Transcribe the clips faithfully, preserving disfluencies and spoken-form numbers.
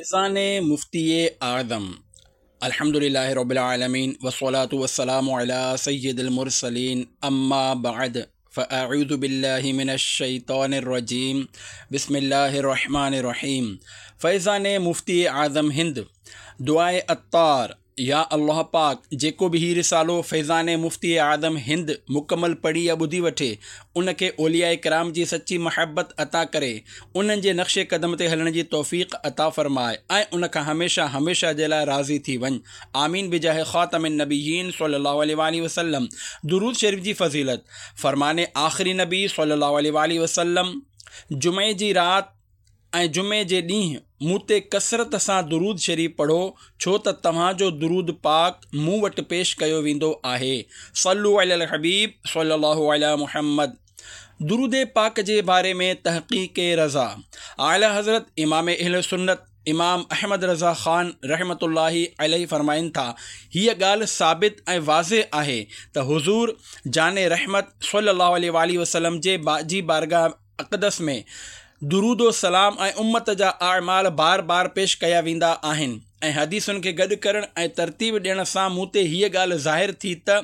فيضان مفتي اعظم الحمد لله رب العالمين والصلاة والسلام على سيد المرسلين اما بعد فاعوذ بالله من الشيطان الرجيم بسم الله الرحمن الرحيم فيضان مفتي اعظم هند دعاء عطار يا الله پاڪ جيڪو به هي رسالو فيضان مفتي اعظم هند مڪمل پڙهي يا ٻڌي وٺي ان کي اولياء ڪرام جي سچي محبت عطا ڪري انهن جي نقش قدم تي هلڻ جي توفيق عطا فرماء ۽ ان کان هميشه هميشه جي لاء راضي ٿي وڃ آمين بجاه خاتم النبيين صلي الله عليه واله وسلم درود شريف جي فضيلت فرمان آخري نبي صلي الله عليه واله وسلم جمعي جي رات ۽ جمعي جي ڏينهن مون تي ڪثرت سان درود شريف پڙهو ڇو ته توهان جو درود پاڪ مون وٽ پيش ڪيو ويندو آهي صلو علی الحبيب صلي الله علي محمد درود پاڪ جي باري ۾ تحقيق رضا اعلي حضرت امام اهل سنت امام احمد رضا خان رحمة الله عليه فرمائن ٿا هيء ڳالهه ثابت ۽ واضح آهي ته حضور جان رحمت صلي الله عليه واله وسلم جي جي بارگاهه اقدس ۾ درود و سلام ۽ امت جا اعمال بار بار پيش ڪيا ويندا آهن ۽ حديثن کي گڏ ڪرڻ ۽ ترتيب ڏيڻ سان مون تي هيء ڳالهه ظاهر ٿي ته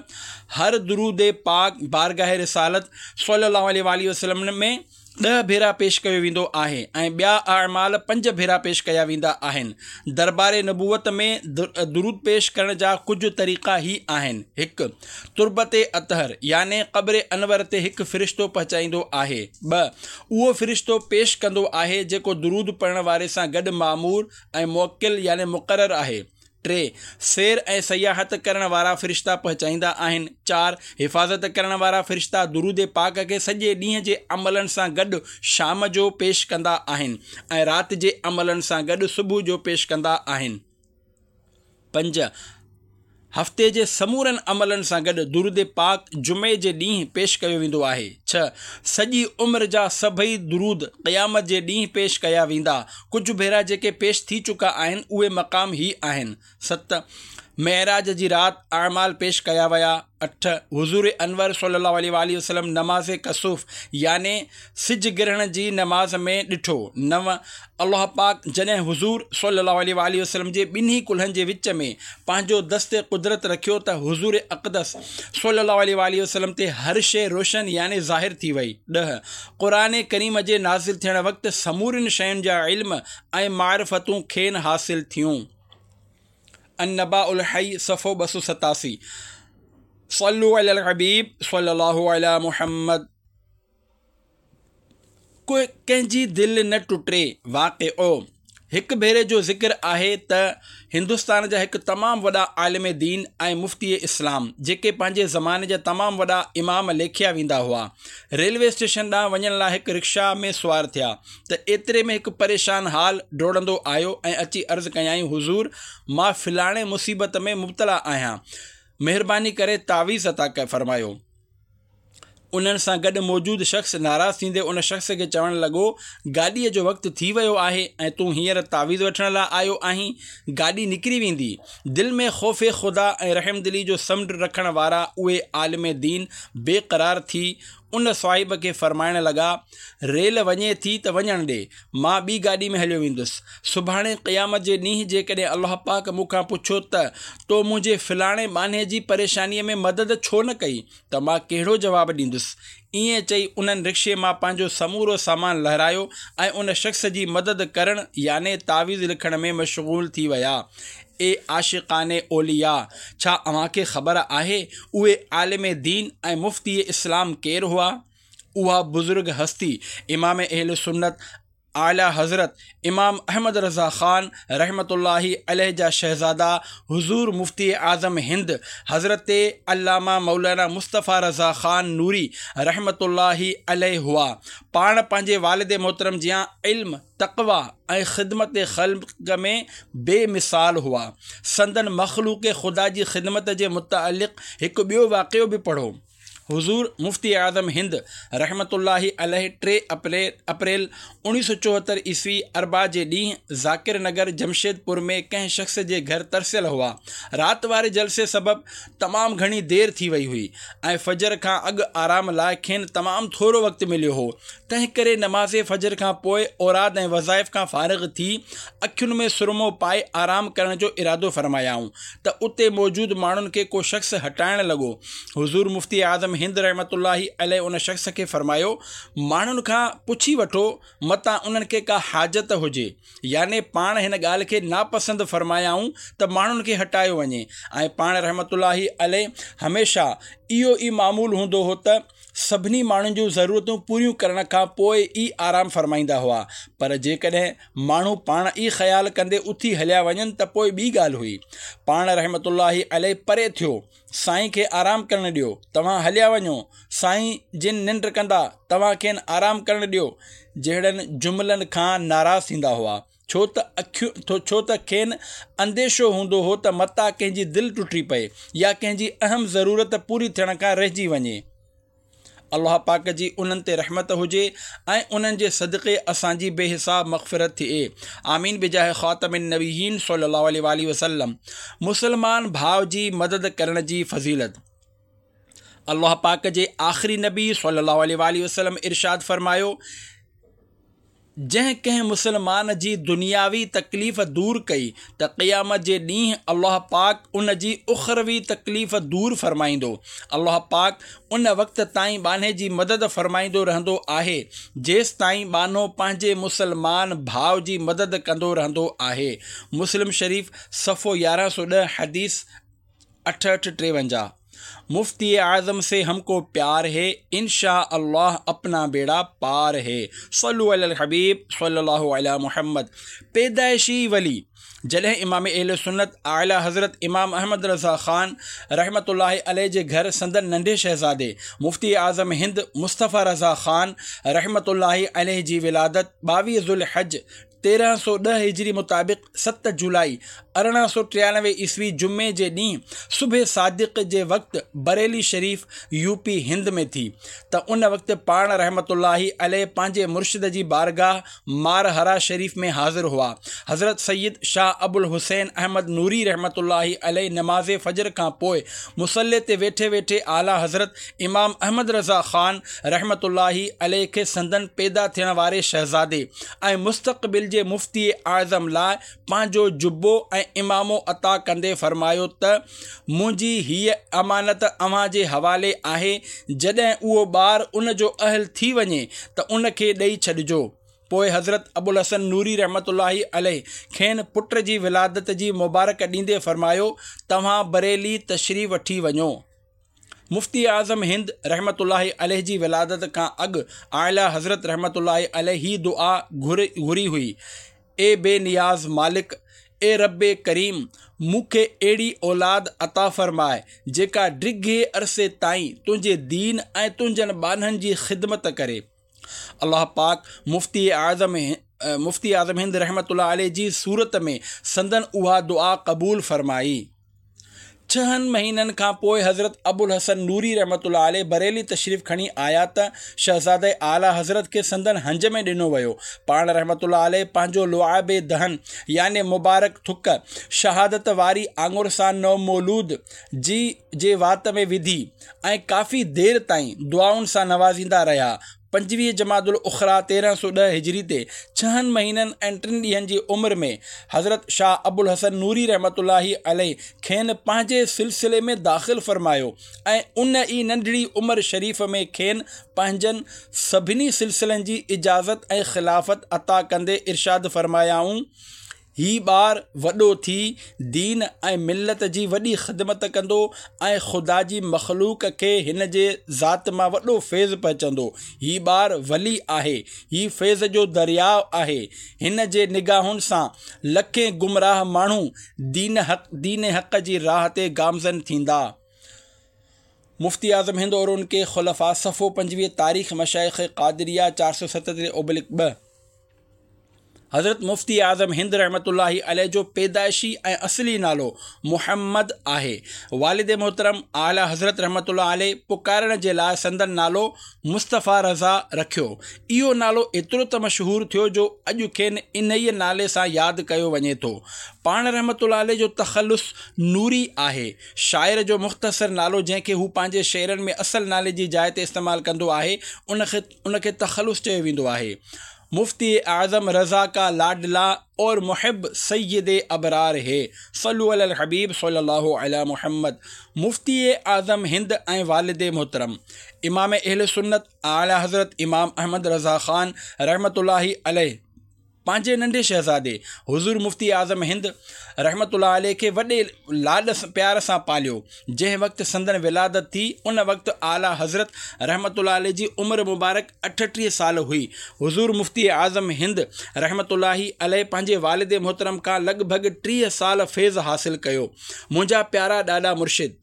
هر درود پاڪ بارگاهه رسالت صلي الله عليه واله وسلم ۾ ڏهه ڀيرا پيش ڪيو ويندو آهي ۽ ٻيا اعمال پنج ڀيرا پيش ڪيا ويندا آهن. دربار نبوت ۾ درود پيش ڪرڻ جا ڪجهه طريقا هي آهن، هڪ. تربت اطهر يعني قبر انور تي هڪ فرشتو پهچائيندو آهي. ٻه. اهو فرشتو پيش ڪندو آهي جيڪو درود پڙهڻ واري سان گڏ مامور ۽ موڪل يعني مقرر آهي. ٽي. سير ۽ سياحت ڪرڻ وارا فرشتا پهچائيندا آهن. چار. حفاظت ڪرڻ وارا فرشتا درود پاڪ کي سڄي ڏينهن جي عملن سان گڏ شام جو پيش ڪندا آهن ۽ رات جي عملن سان گڏ صبح جو پيش ڪندا آهن. پنج. هفتي جي سمورن عملن سان گڏ درود پاڪ جمعي جي ڏينهن پيش ڪيو ويندو آهي. ڇهه. سڄي عمر جا سڀئي درود قيامت جي ڏينهن پيش ڪيا ويندا. ڪجهه ڀيرا جيڪي پيش ٿي چڪا آهن اهي مقام هي آهن. ست. معراج جي رات اعمال پيش ڪيا ويا. اٺ. حضور انور صلي الله عليه واله وسلم نماز ڪسوف يعني سج گرهڻ جي نماز ۾ ڏٺو. نو. الله پاڪ جڏهن حضور صلي الله عليه واله وسلم جي ٻنهي ڪلهن جي وچ ۾ پنهنجو دست قدرت رکيو ته حضور اقدس صلي الله عليه واله وسلم تي هر شيء روشن يعني ظاهر ٿي وئي. ڏهه. قرآن ڪريم جي نازل ٿيڻ وقت سمورين شين جا علم ۽ معرفتون کين حاصل ٿيون. النباء الحي صفحو ٻه سؤ ستاسي صلو علي الحبيب صلي الله علي محمد ڪنهن جي دل نه ٽٽي واقعو هڪ ڀيري جو ذڪر آهي ته هندستان جا هڪ تمام وڏا عالم دين ۽ مفتي اسلام جيڪي پنهنجي زماني جا تمام وڏا امام ليکيا ويندا هئا ريلوي اسٽيشن ڏانهن وڃڻ لاء هڪ رڪشا ۾ سوار ٿيا ته ايتري ۾ هڪ پريشان حال ڊوڙندو آيو ۽ اچي عرض ڪيائين حضور مان فلاڻي مصيبت ۾ مبتلا آهيان مهرباني ڪري تعويذ عطا فرمايو. انهن سان گڏ موجود شخص ناراض ٿيندي ان شخص کي چوڻ لڳو گاڏيء جو وقت ٿي ويو آهي ۽ تون هينئر تعويذ وٺڻ لاء آيو آهين گاڏي نڪري ويندي. دل ۾ خوف خدا ۽ رحمدلي جو سمنڊ رکڻ وارا اهي عالم دين بي قرار ٿي ان صاحب کي فرمائڻ لڳا، ريل وڃي ٿي ته وڃڻ ڏي، مان ٻي گاڏي ۾ هليو ويندس. سڀاڻي قيامت جي ڏينهن جيڪڏهن الله پاڪ مون کان پڇيو ته تو منهنجي فلاڻي ٻانهي جي پريشانيء ۾ مدد ڇو نه ڪئي ته مان ڪهڙو جواب ڏيندس؟ ائين چئي انهن رڪشي مان پنهنجو سمورو سامان لهرايو ۽ ان شخص جي مدد ڪرڻ يعني تعويذ لکڻ ۾ مشغول ٿي ويا. اي عاشقان اولياء! ڇا اوهان کي خبر آهي اهي عالم دين ۽ مفتي اسلام ڪير هئا؟ اها بزرگ هستي امام اهل سنت اعليٰ حضرت امام احمد رضا خان رحمة الله عليه جا شهزادا حضور مفتي اعظم هند حضرت علامه مولانا مصطفيٰ رضا خان نوري رحمة الله عليه هئا. پاڻ پنهنجي والد محترم جيان علم، تقويٰ ۽ خدمت خلق ۾ بي مثال هئا. سندن مخلوق خدا جي خدمت جي متعلق هڪ ٻيو واقعو به پڙهو. حضور مفتي اعظم هند رحمة الله عليه ٽي اپريل اوڻيهه سؤ چوهتر عيسوي اربع جي ڏينهن ذاڪر نگر جمشيدپور ۾ ڪنهن شخص جي گهر ترسيل هئا. رات واري جلسي سبب تمام گهڻي دير ٿي وئي هئي ۽ فجر کان اڳ آرام لاء کين تمام ٿورو وقت مليو هو. تنهن ڪري نماز فجر کان پوء اوراد ۽ وظائف کان فارغ ٿي اکين ۾ سرمو پائي آرام ڪرڻ جو ارادو فرمايائون ته اتي موجود ماڻهن کي ڪو شخص هٽائڻ لڳو. حضور مفتي اعظم هند رحمة الله عليه ان شخص کي فرمايو، ماڻهن کان پڇي وٺو متان انهن کي ڪا حاجت هجي. يعني پاڻ هن ڳالهه کي ناپسند فرمايائون ته ماڻهن کي هٽايو وڃي ۽ پاڻ رحمة الله عليه هميشه اهو ئي معمول هوندو هو ته سڀني ماڻهن جون ضرورتون پوريون ڪرڻ کان پوء ئي آرام فرمائيندا هئا، پر جيڪڏهن ماڻهو پاڻ ئي خيال ڪندي اٿي هليا وڃن ته پوء ٻي ڳالهه هئي. پاڻ رحمة الله عليه پري ٿيو، سائين کي آرام ڪرڻ ڏيو، توهان هليا وڃو، سائين جن ننڊ ڪندا، توهان کين آرام ڪرڻ ڏيو جهڙن جملن کان ناراض ٿيندا هئا. ڇو ته ڇو ته کين انديشو هوندو هو ته متان ڪنهن جي دل ٽٽي پئي يا ڪنهن جي اهم ضرورت پوري ٿيڻ کان رهجي وڃي. الله پاڪ جي انهن تي رحمت هجي ۽ انهن جي صدقي اسان جي بي حساب مغفرت ٿئي. آمين بجاه خاتم النبيين صلي الله عليه واٰله وسلم. مسلمان ڀاء جي مدد ڪرڻ جي فضيلت. الله پاڪ جي آخري نبي صلي الله عليه واٰله وسلم ارشاد فرمايو، جنهن ڪنهن مسلمان جي دنياوي تڪليف دور ڪئي ته قيامت جي ڏينهن الله پاڪ ان جي اخروي تڪليف دور فرمائيندو. الله پاڪ ان وقت تائين ٻانهي جي مدد فرمائيندو رهندو آهي جيستائين ٻانهو پنهنجي مسلمان ڀاء جي مدد ڪندو رهندو آهي. مسلم شريف صفحو يارهن سؤ ڏهه حديث اٺهٺ ٽيونجاهه. مفتي اعظم سي هم ڪو پيار هي انشاء الله اپنا بيڙا پار هي صلو علي الحبيب صلي الله علي محمد. پيدائشي ولي جڏهن امام اهل سنت اعليٰ حضرت امام احمد رضا خان رحمة الله عليه جي گهر سندن ننڍي شهزادي مفتي اعظم هند مصطفيٰ رضا خان رحمة الله عليه جي ولادت ٻاويهه ذوالحج تيرهن سؤ ڏهه هجري مطابق ست جولائي ارڙهن سؤ ٽيانوي عيسوي جمعي جي ڏينهن صبح صادق جي وقت بريلي شريف يو پي هند ۾ ٿي ته ان وقت پاڻ رحمة الله عليه پنهنجي مرشد جي بارگاهه مارهرا شريف ۾ حاضر هئا. حضرت سيد شاهه ابوالحسين احمد نوري رحمة الله عليه نماز فجر کان پوء مصلي تي ويٺي ويٺي اعليٰ حضرت امام احمد رضا خان رحمة الله عليه کي سندن پيدا ٿيڻ واري شهزادي ۽ مستقبل جي مفتي اعظم لاء پنهنجو جبو ۽ عمامو عطا ڪندي فرمايو ته منهنجي هيء امانت اوهان جي حوالي آهي، جڏهن اهو ٻار ان جو اهل ٿي وڃي ته ان کي ڏئي ڇڏجو. پوء حضرت ابوالحسن نوري رحمة الله عليه کين پٽ جي ولادت جي مبارڪ ڏيندي فرمايو، توهان بريلي تشريف وٺي وڃو. مفتي اعظم هند رحمة الله عليه جي ولادت کان اڳ اعليٰ حضرت رحمة الله عليه هي دعا گهري هئي، اي بي نياز مالڪ! اي رب ڪريم! مون کي اهڙي اولاد عطا فرماء، جيڪا ڊگهي عرصي تائين تنهنجي دين ۽ تنهنجن ٻانهن جي خدمت ڪري. الله پاڪ مفتي اعظم مفتي اعظم هند رحمة الله عليه جي صورت ۾ سندن اها دعا قبول فرمائي. ڇهن مهينن کان پوء حضرت ابوالحسن نوري رحمة الله عليه بريلي تشريف کڻي آيا ته شهزاده اعليٰ حضرت کي سندن هنج ۾ ڏنو ويو. پاڻ رحمة الله عليه پنهنجو لعاب دهن يعني مبارڪ ٿڪ شهادت واري آڱر سان نومولود جي جي وات ۾ وڌي ۽ ڪافي دير تائين دعائن سان نوازيندا رهيا. پنجويهه جمادي الاخريٰ تيرهن سؤ ڏهه هجري تي ڇهن مهينن ۽ ٽن ڏينهن جي عمر ۾ حضرت شاهه ابوالحسن نوري رحمة الله عليه کين پنهنجي سلسلي ۾ داخل فرمايو ۽ ان ئي ننڍڙي عمر شريف ۾ کين پنهنجن سڀني سلسلن جي اجازت ۽ خلافت عطا ڪندي ارشاد فرمايائون، هي ٻار وڏو ٿي دين ۽ ملت جي وڏي خدمت ڪندو ۽ خدا جي مخلوق کي هن جي ذات مان وڏو فيض پهچندو. هي ٻار ولي آهي. هي فيض جو درياء آهي. هن جي نگاهن سان لکين گمراهه ماڻهو دين حق دين حق جي راهه تي گامزن ٿيندا. مفتي اعظم هند اور ان ڪي خلفاء صفحو پنجويهه تاريخ مشائخ قادريه چار سؤ ستٽيهه اوبلڪ ٻه. حضرت مفتي اعظم هند رحمة الله عليه جو پيدائشي ۽ اصلي نالو محمد آهي. والد محترم اعليٰ حضرت رحمة الله عليه پڪارڻ جي لاء سندن نالو مصطفيٰ رضا رکيو. اهو نالو ايترو ته مشهور ٿيو جو اڄ کين انهيء نالي سان ياد ڪيو وڃي ٿو. پاڻ رحمة الله عليه جو تخلص نوري آهي. شاعر جو مختصر نالو جنهن کي هو پنهنجي شعرن ۾ اصل نالي جي جاء تي استعمال ڪندو آهي، ان کي تخلص چيو ويندو آهي. مفتي اعظم رضا کا لاڊلا اور محب سيد ابرار هي صلو علي الحبيب صلي الله علي محمد مفتي اعظم هند ۽ والد محترم امام اهل سنت اعليٰ حضرت امام احمد رضا خان رحمة الله عليه پنهنجي ننڍي شهزادي حضور مفتي اعظم هند رحمة الله عليه کي وڏي لاڏ پيار سان پاليو. جنهن وقت سندن ولادت ٿي ان وقت اعليٰ حضرت رحمة الله عليه جي عمر مبارڪ اٺٽيهه سال هئي. حضور مفتي اعظم هند رحمة الله عليه پنهنجي والد محترم کان لڳ ڀڳ ٽيهه سال فيض حاصل ڪيو. منهنجا پيارا ڏاڏا مرشد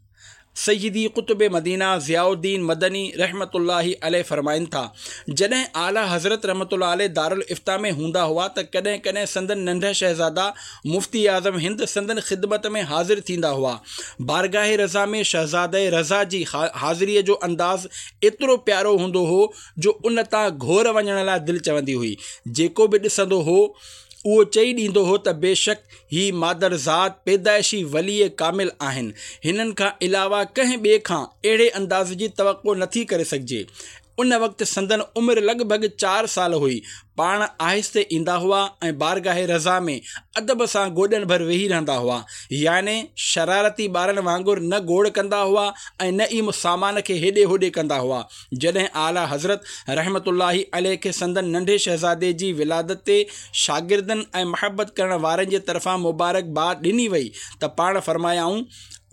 سيدي قطب مدينه ضياء الدين مدني رحمة الله عليه فرمائن ٿا، جڏهن اعليٰ حضرت رحمة الله عليه دارالافتاء ۾ هوندا هئا ته ڪڏهن ڪڏهن سندن ننڍا شهزادا مفتي اعظم هند سندن خدمت ۾ حاضر ٿيندا هئا. بارگاهه رضا ۾ شهزاده رضا جي حاضريء جو انداز ايترو پيارو هوندو هو جو ان تان گهور وڃڻ لاء دل چوندي هئي. جيڪو به ڏسندو هو اهو چئي ڏيندو هو ته بيشڪ هي مادرزاد پيدائشي ولي ڪامل آهن، هنن کان علاوه ڪنهن ٻئي کان اهڙي انداز جي توقع نٿي ڪري سگهجي. ان وقت سندن عمر لڳ ڀڳ چار سال هئي. پاڻ آهستي ايندا هئا ۽ بارگاهه رضا ۾ ادب سان گوڏن ڀر ويهي رهندا هئا، يعني شرارتي ٻارن وانگر نه گوڙ ڪندا هئا ۽ نه ئي سامان کي هيڏي هوڏي ڪندا هئا. جڏهن اعليٰ حضرت رحمة الله عليه کي سندن ننڍي شهزادي جي ولادت تي شاگردن ۽ محبت ڪرڻ وارن جي طرفان مبارڪباد ڏني وئي ته پاڻ فرمايائون،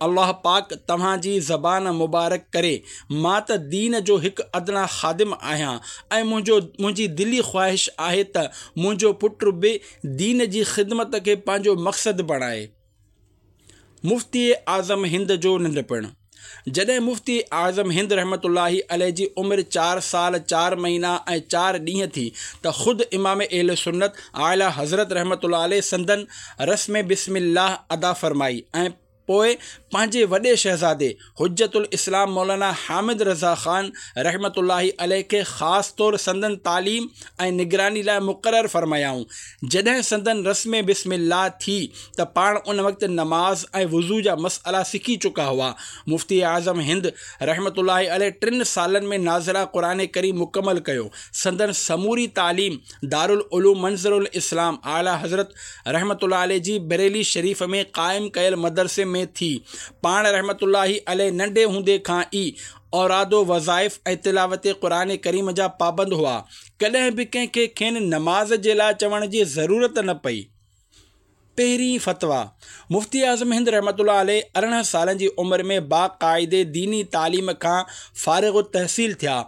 الله پاڪ توهان جي زبان مبارڪ ڪري، مان ته دين جو هڪ ادنيٰ خادم آهيان ۽ منهنجو منهنجي دلي خواهش آهي ته منهنجو پٽ به دين جي خدمت کي پنهنجو مقصد بڻائي. مفتي اعظم هند جو ننڍپڻ. جڏهن مفتي اعظم هند رحمة الله عليه جي عمر چار سال چار مهينا ۽ چار ڏينهن ٿي ته خود امام اهل سنت اعليٰ حضرت رحمة الله عليه سندن رسم بسم الله ادا فرمائي ۽ پوء پنهنجي وڏي شهزادي حجة الاسلام مولانا حامد رضا خان رحمة الله عليه کي خاص طور سندن تعليم ۽ نگراني لاء مقرر فرمايائون. جڏهن سندن رسم بسم الله ٿي ته پاڻ ان وقت نماز ۽ وضو جا مسئلا سکي چڪا هئا. مفتي اعظم هند رحمة الله عليه ٽن سالن ۾ ناظره قرآن ڪريم مڪمل ڪيو. سندن سموري تعليم دارالعلوم منظر الاسلام اعليٰ حضرت رحمة الله عليه جي بريلي شريف ۾ قائم ڪيل مدرسي ۾ ٿي. پاڻ رحمة الله عليه ننڍي هوندي کان ئي اوراد و وظائف ۽ تلاوت قرآن ڪريم جا پابند هئا. ڪڏهن به ڪنهن کي کين نماز جي لاء چوڻ جي ضرورت نه پئي. پهرين فتويٰ، مفتي اعظم هند رحمة الله عليه ارڙهن سالن جي عمر ۾ باقاعدي ديني تعليم کان فارغ التحصيل ٿيا.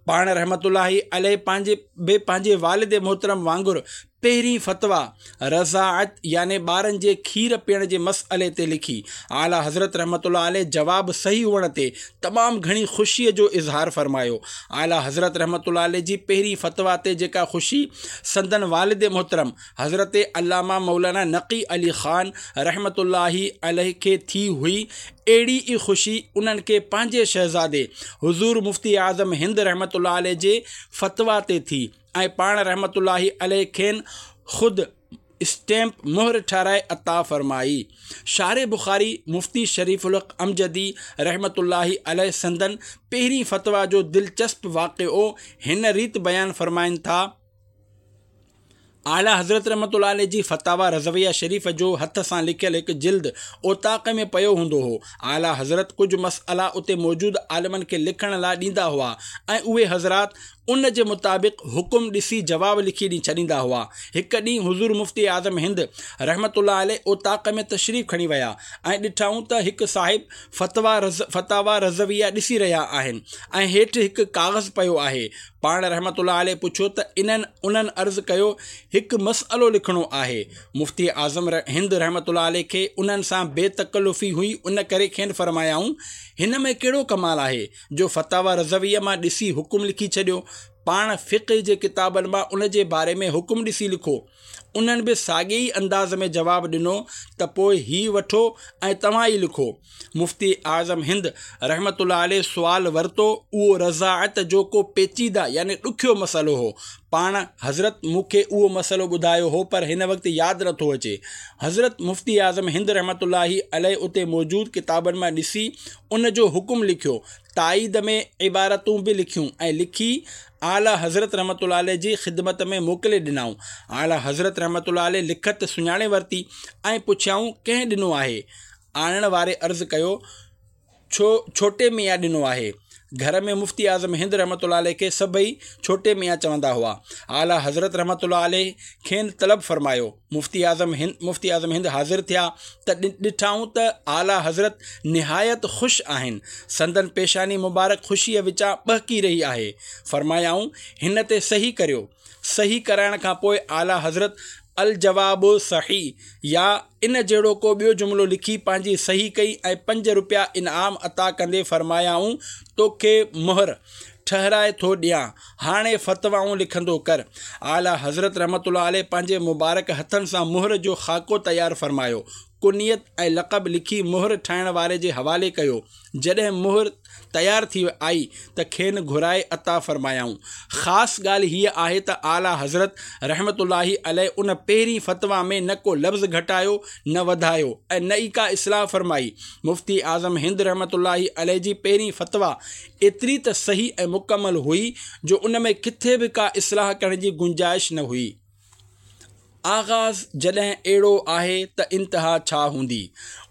پاڻ رحمة الله عليه پنهنجي به پنهنجي والد محترم وانگر پهرين فتويٰ رضاعت يعني ٻارن جي کير پيئڻ جي مسئلي تي لکي. اعليٰ حضرت رحمة الله عليه جواب صحيح هئڻ تي تمام گهڻي خوشيء جو اظهار فرمايو. اعليٰ حضرت رحمة الله عليه جي پهرين فتويٰ تي جيڪا خوشي سندن والد محترم حضرت علامه مولانا نقي علي خان رحمة الله عليه کي ٿي هئي، اهڙي ئي خوشي انهن کي پنهنجي شهزادي حضور مفتي اعظم هند رحمة الله عليه جي فتويٰ تي ٿي ۽ پاڻ رحمة الله عليه کين خود اسٽيمپ مهر ٺهرائي عطا فرمائي. شارح بخاري مفتي شريف الحق امجدي رحمة الله عليه سندن پهرين فتويٰ جو دلچسپ واقعو هن ريت بيان فرمائن ٿا، اعليٰ حضرت رحمة الله عليه جي فتاويٰ رضويه شريف جو هٿ سان لکيل هڪ جلد اوطاق ۾ پيو هوندو هو. اعليٰ حضرت ڪجهه مسئلا اتي موجود عالمن کي لکڻ لاء ڏيندا هئا ۽ اهي حضرات ان جي مطابق حڪم ڏسي جواب لکي ڏئي ڇڏيندا هئا. هڪ ڏينهن حضور مفتي اعظم هند رحمة الله عليه اوطاق ۾ تشريف کڻي ويا ۽ ڏٺائون ته هڪ صاحب فتاويٰ رضويه ڏسي رهيا آهن ۽ هيٺ هڪ ڪاغذ پيو آهي. پاڻ رحمة الله عليه پڇيو ته انهن انهن عرض ڪيو هڪ مسئلو لکڻو آهي. مفتي اعظم هند رحمة الله عليه کي انهن سان بي تڪلفي هئي ان ڪري کين فرمايائون هن ۾ ڪهڙو ڪمال آهي جو فتاويٰ رضويه مان ڏسي حڪم لکي ڇڏيو. پاڻ فقه جي ڪتابن مان ان جي باري ۾ حڪم ڏسي لکو. انهن به ساڳئي ئي انداز ۾ جواب ڏنو ته پوء هي وٺو ۽ توهان ئي لکو. مفتي اعظم هند رحمة الله عليه سوال ورتو، اهو رضاعت جو ڪو پيچيده يعني ڏکيو مسئلو هو. پاڻ حضرت مون کي اهو مسئلو ٻڌايو هو پر هن وقت ياد نٿو اچي. حضرت مفتي اعظم هند رحمة الله عليه اتي موجود ڪتابن مان ڏسي ان جو حڪم لکيو، تائيد ۾ عبارتون به لکيون ۽ لکي اعليٰ حضرت رحمة الله عليه جي خدمت ۾ موڪلي ڏنائون. اعليٰ حضرت رحمة الله عليه لکت سڃاڻي ورتي ۽ پڇيائون ڪنهن ڏنو آهي؟ آڻڻ واري عرض ڪيو ڇو ڇوٽي ميان ڏنو آهي. گهر ۾ مفتي اعظم هند رحمة الله عليه کي سڀئي ڇوٽي ميان چوندا هئا. اعليٰ حضرت رحمة الله عليه کين طلب فرمايو. مفتي اعظم هند مفتي اعظم هند حاضر ٿيا ته ڏٺائون ته اعليٰ حضرت نهايت خوش آهن. سندن پيشاني مبارڪ خوشيء وچان ٻهڪي رهي آهي. فرمايائون، هن تي صحيح ڪريو. صحيح ڪرائڻ کان پوء اعليٰ حضرت الجواب صحيح يا ان جهڙو ڪو ٻيو جملو لکي پنهنجي صحيح ڪئي ۽ پنج رپيا انعام عطا ڪندي فرمايائون، توکي مهر ٺهرائي ٿو ڏيان، هاڻي فتوائون لکندو ڪر. اعليٰ حضرت رحمة الله عليه پنهنجي مبارڪ هٿن سان مهر جو خاڪو تيار فرمايو. ڪنيت ۽ لقب لکي مهر ٺاهڻ واري جي حوالي ڪيو. جڏهن مهر تيار ٿي آئي ته کين گهرائي عطا فرمايائون. خاص ڳالهه هيء آهي ته اعليٰ حضرت رحمة الله عليه ان پهرين فتويٰ ۾ نه ڪو لفظ گهٽايو نه وڌايو ۽ نه ئي ڪا اصلاح فرمائي. مفتي اعظم هند رحمة الله عليه جي پهرين فتويٰ ايتري ته صحيح ۽ مڪمل هئي جو ان ۾ ڪٿي به ڪا اصلاح ڪرڻ جي گنجائش نه هئي. آغاز جڏهن اهڙو آهي ته انتها ڇا هوندي؟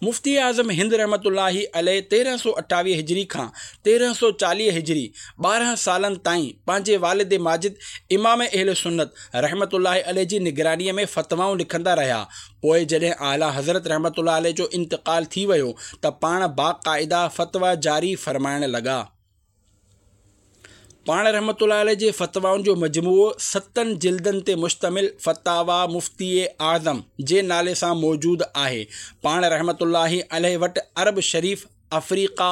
مفتي اعظم هند رحمة الله عليه تيرهن سؤ اٺاويهه هجري کان تيرهن سؤ چاليهه هجري ٻارهن سالن تائين پنهنجي والد ماجد امام اهل سنت رحمة الله عليه جي نگرانيء ۾ فتوائون لکندا رهيا. پوء جڏهن اعليٰ حضرت رحمة الله عليه جو انتقال ٿي ويو ته پاڻ باقاعده فتويٰ جاري فرمائڻ لڳا. پاڻ رحمة الله عليه جي فتوائن جو مجموعو ستن جلدن تي مشتمل فتاويٰ مفتي اعظم جي نالي سان موجود آهي. پاڻ رحمة الله عليه وٽ عرب شريف، آفريقا،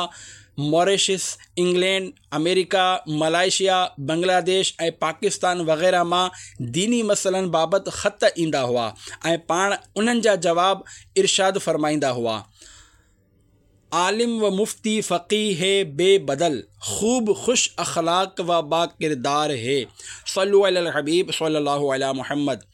ماريشس، انگلينڊ، آمريڪا، ملائيشيا، بنگلاديش ۽ پاڪستان وغيره مان ديني مسئلن بابت خط ايندا هئا ۽ پاڻ انهن جا جواب ارشاد فرمائيندا هئا. عالم و مفتي فقيه بي بدل، خوب خوش اخلاق و با ڪردار هي. صلو علي الحبيب صلي الله علي محمد.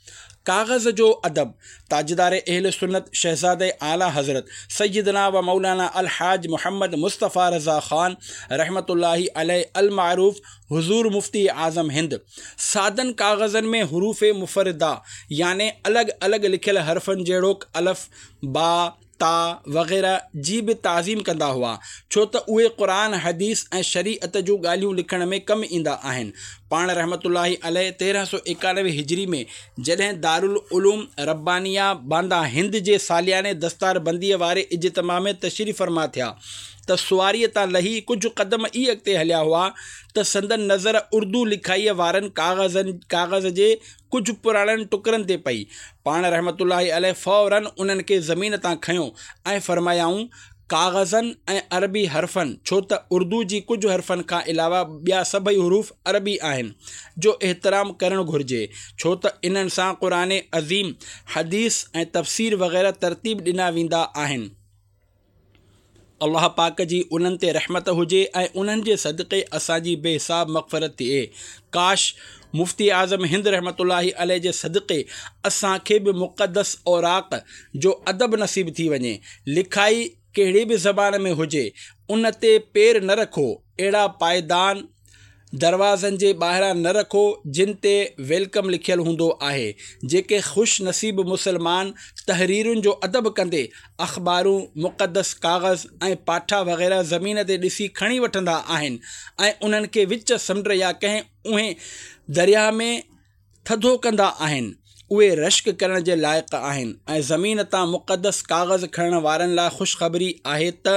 ڪاغذ جو ادب، تاجدار اهل سنت شهزاده اعليٰ حضرت سيدنا و مولانا الحاج محمد مصطفيٰ رضا خان رحمة الله عليه المعروف حضور مفتي اعظم هند سادن ڪاغذن ۾ حروف مفرده يعني الڳ الڳ لکيل حرفن جهڙوڪ الف، با، تا وغيره جي به تعظيم ڪندا هئا، ڇو ته اهي قرآن، حديث ۽ شريعت جون ڳالهيون لکڻ ۾ ڪم ايندا آهن. پاڻ رحمة الله عليه تيرهن سؤ ايڪانوي هجري ۾ جڏهن دارالعلوم ربانيه باندا هند جي سالياني دستار بنديء واري اجتماع ۾ تشريف فرما ٿيا ته سواريء تان لهي ڪجهه قدم ئي اڳتي هليا هئا ته سندن نظر اردو لکائيء وارن ڪاغذن ڪاغذ جي ڪجهه پراڻن ٽڪرن تي پئي. پاڻ رحمة الله عليه فوراً انهن کي زمين تان کنيو ۽ فرمايائون، ڪاغذن ۽ عربي حرفن، ڇو ته اردو جي ڪجهه حرفن کان علاوه ٻيا سڀئي حروف عربي آهن، جو احترام ڪرڻ گهرجي، ڇو ته انهن سان قرآن عظيم، حديث ۽ تفسير وغيره ترتيب ڏنا ويندا آهن. الله پاڪ جي انهن تي رحمت هجي ۽ انهن جي صدقي اسان جي بي حساب مغفرت ٿئي. ڪاش! مفتي اعظم هند رحمة الله عليه جي صدقي اسان کي به مقدس اوراق جو ادب نصيب ٿي وڃي. لکائي ڪهڙي به زبان ۾ هجي، ان تي پير نه رکو، اهڙا پائدان، دروازن جي ٻاهران نه رکو جن تي welcome لکيل هوندو آهي. جيڪي خوش نصيب مسلمان تحريرن جو ادب ڪندي اخبارون، مقدس ڪاغذ ۽ پاٺا وغيره زمين تي ڏسي کڻي وٺندا آهن ۽ انهن کي وچ سمنڊ يا ڪنهن اونهي درياهه ۾ ٿڌو ڪندا آهن، اهي رشڪ ڪرڻ جي لائق آهن ۽ زمين تان مقدس ڪاغذ کڻڻ وارن لاء خوشخبري آهي ته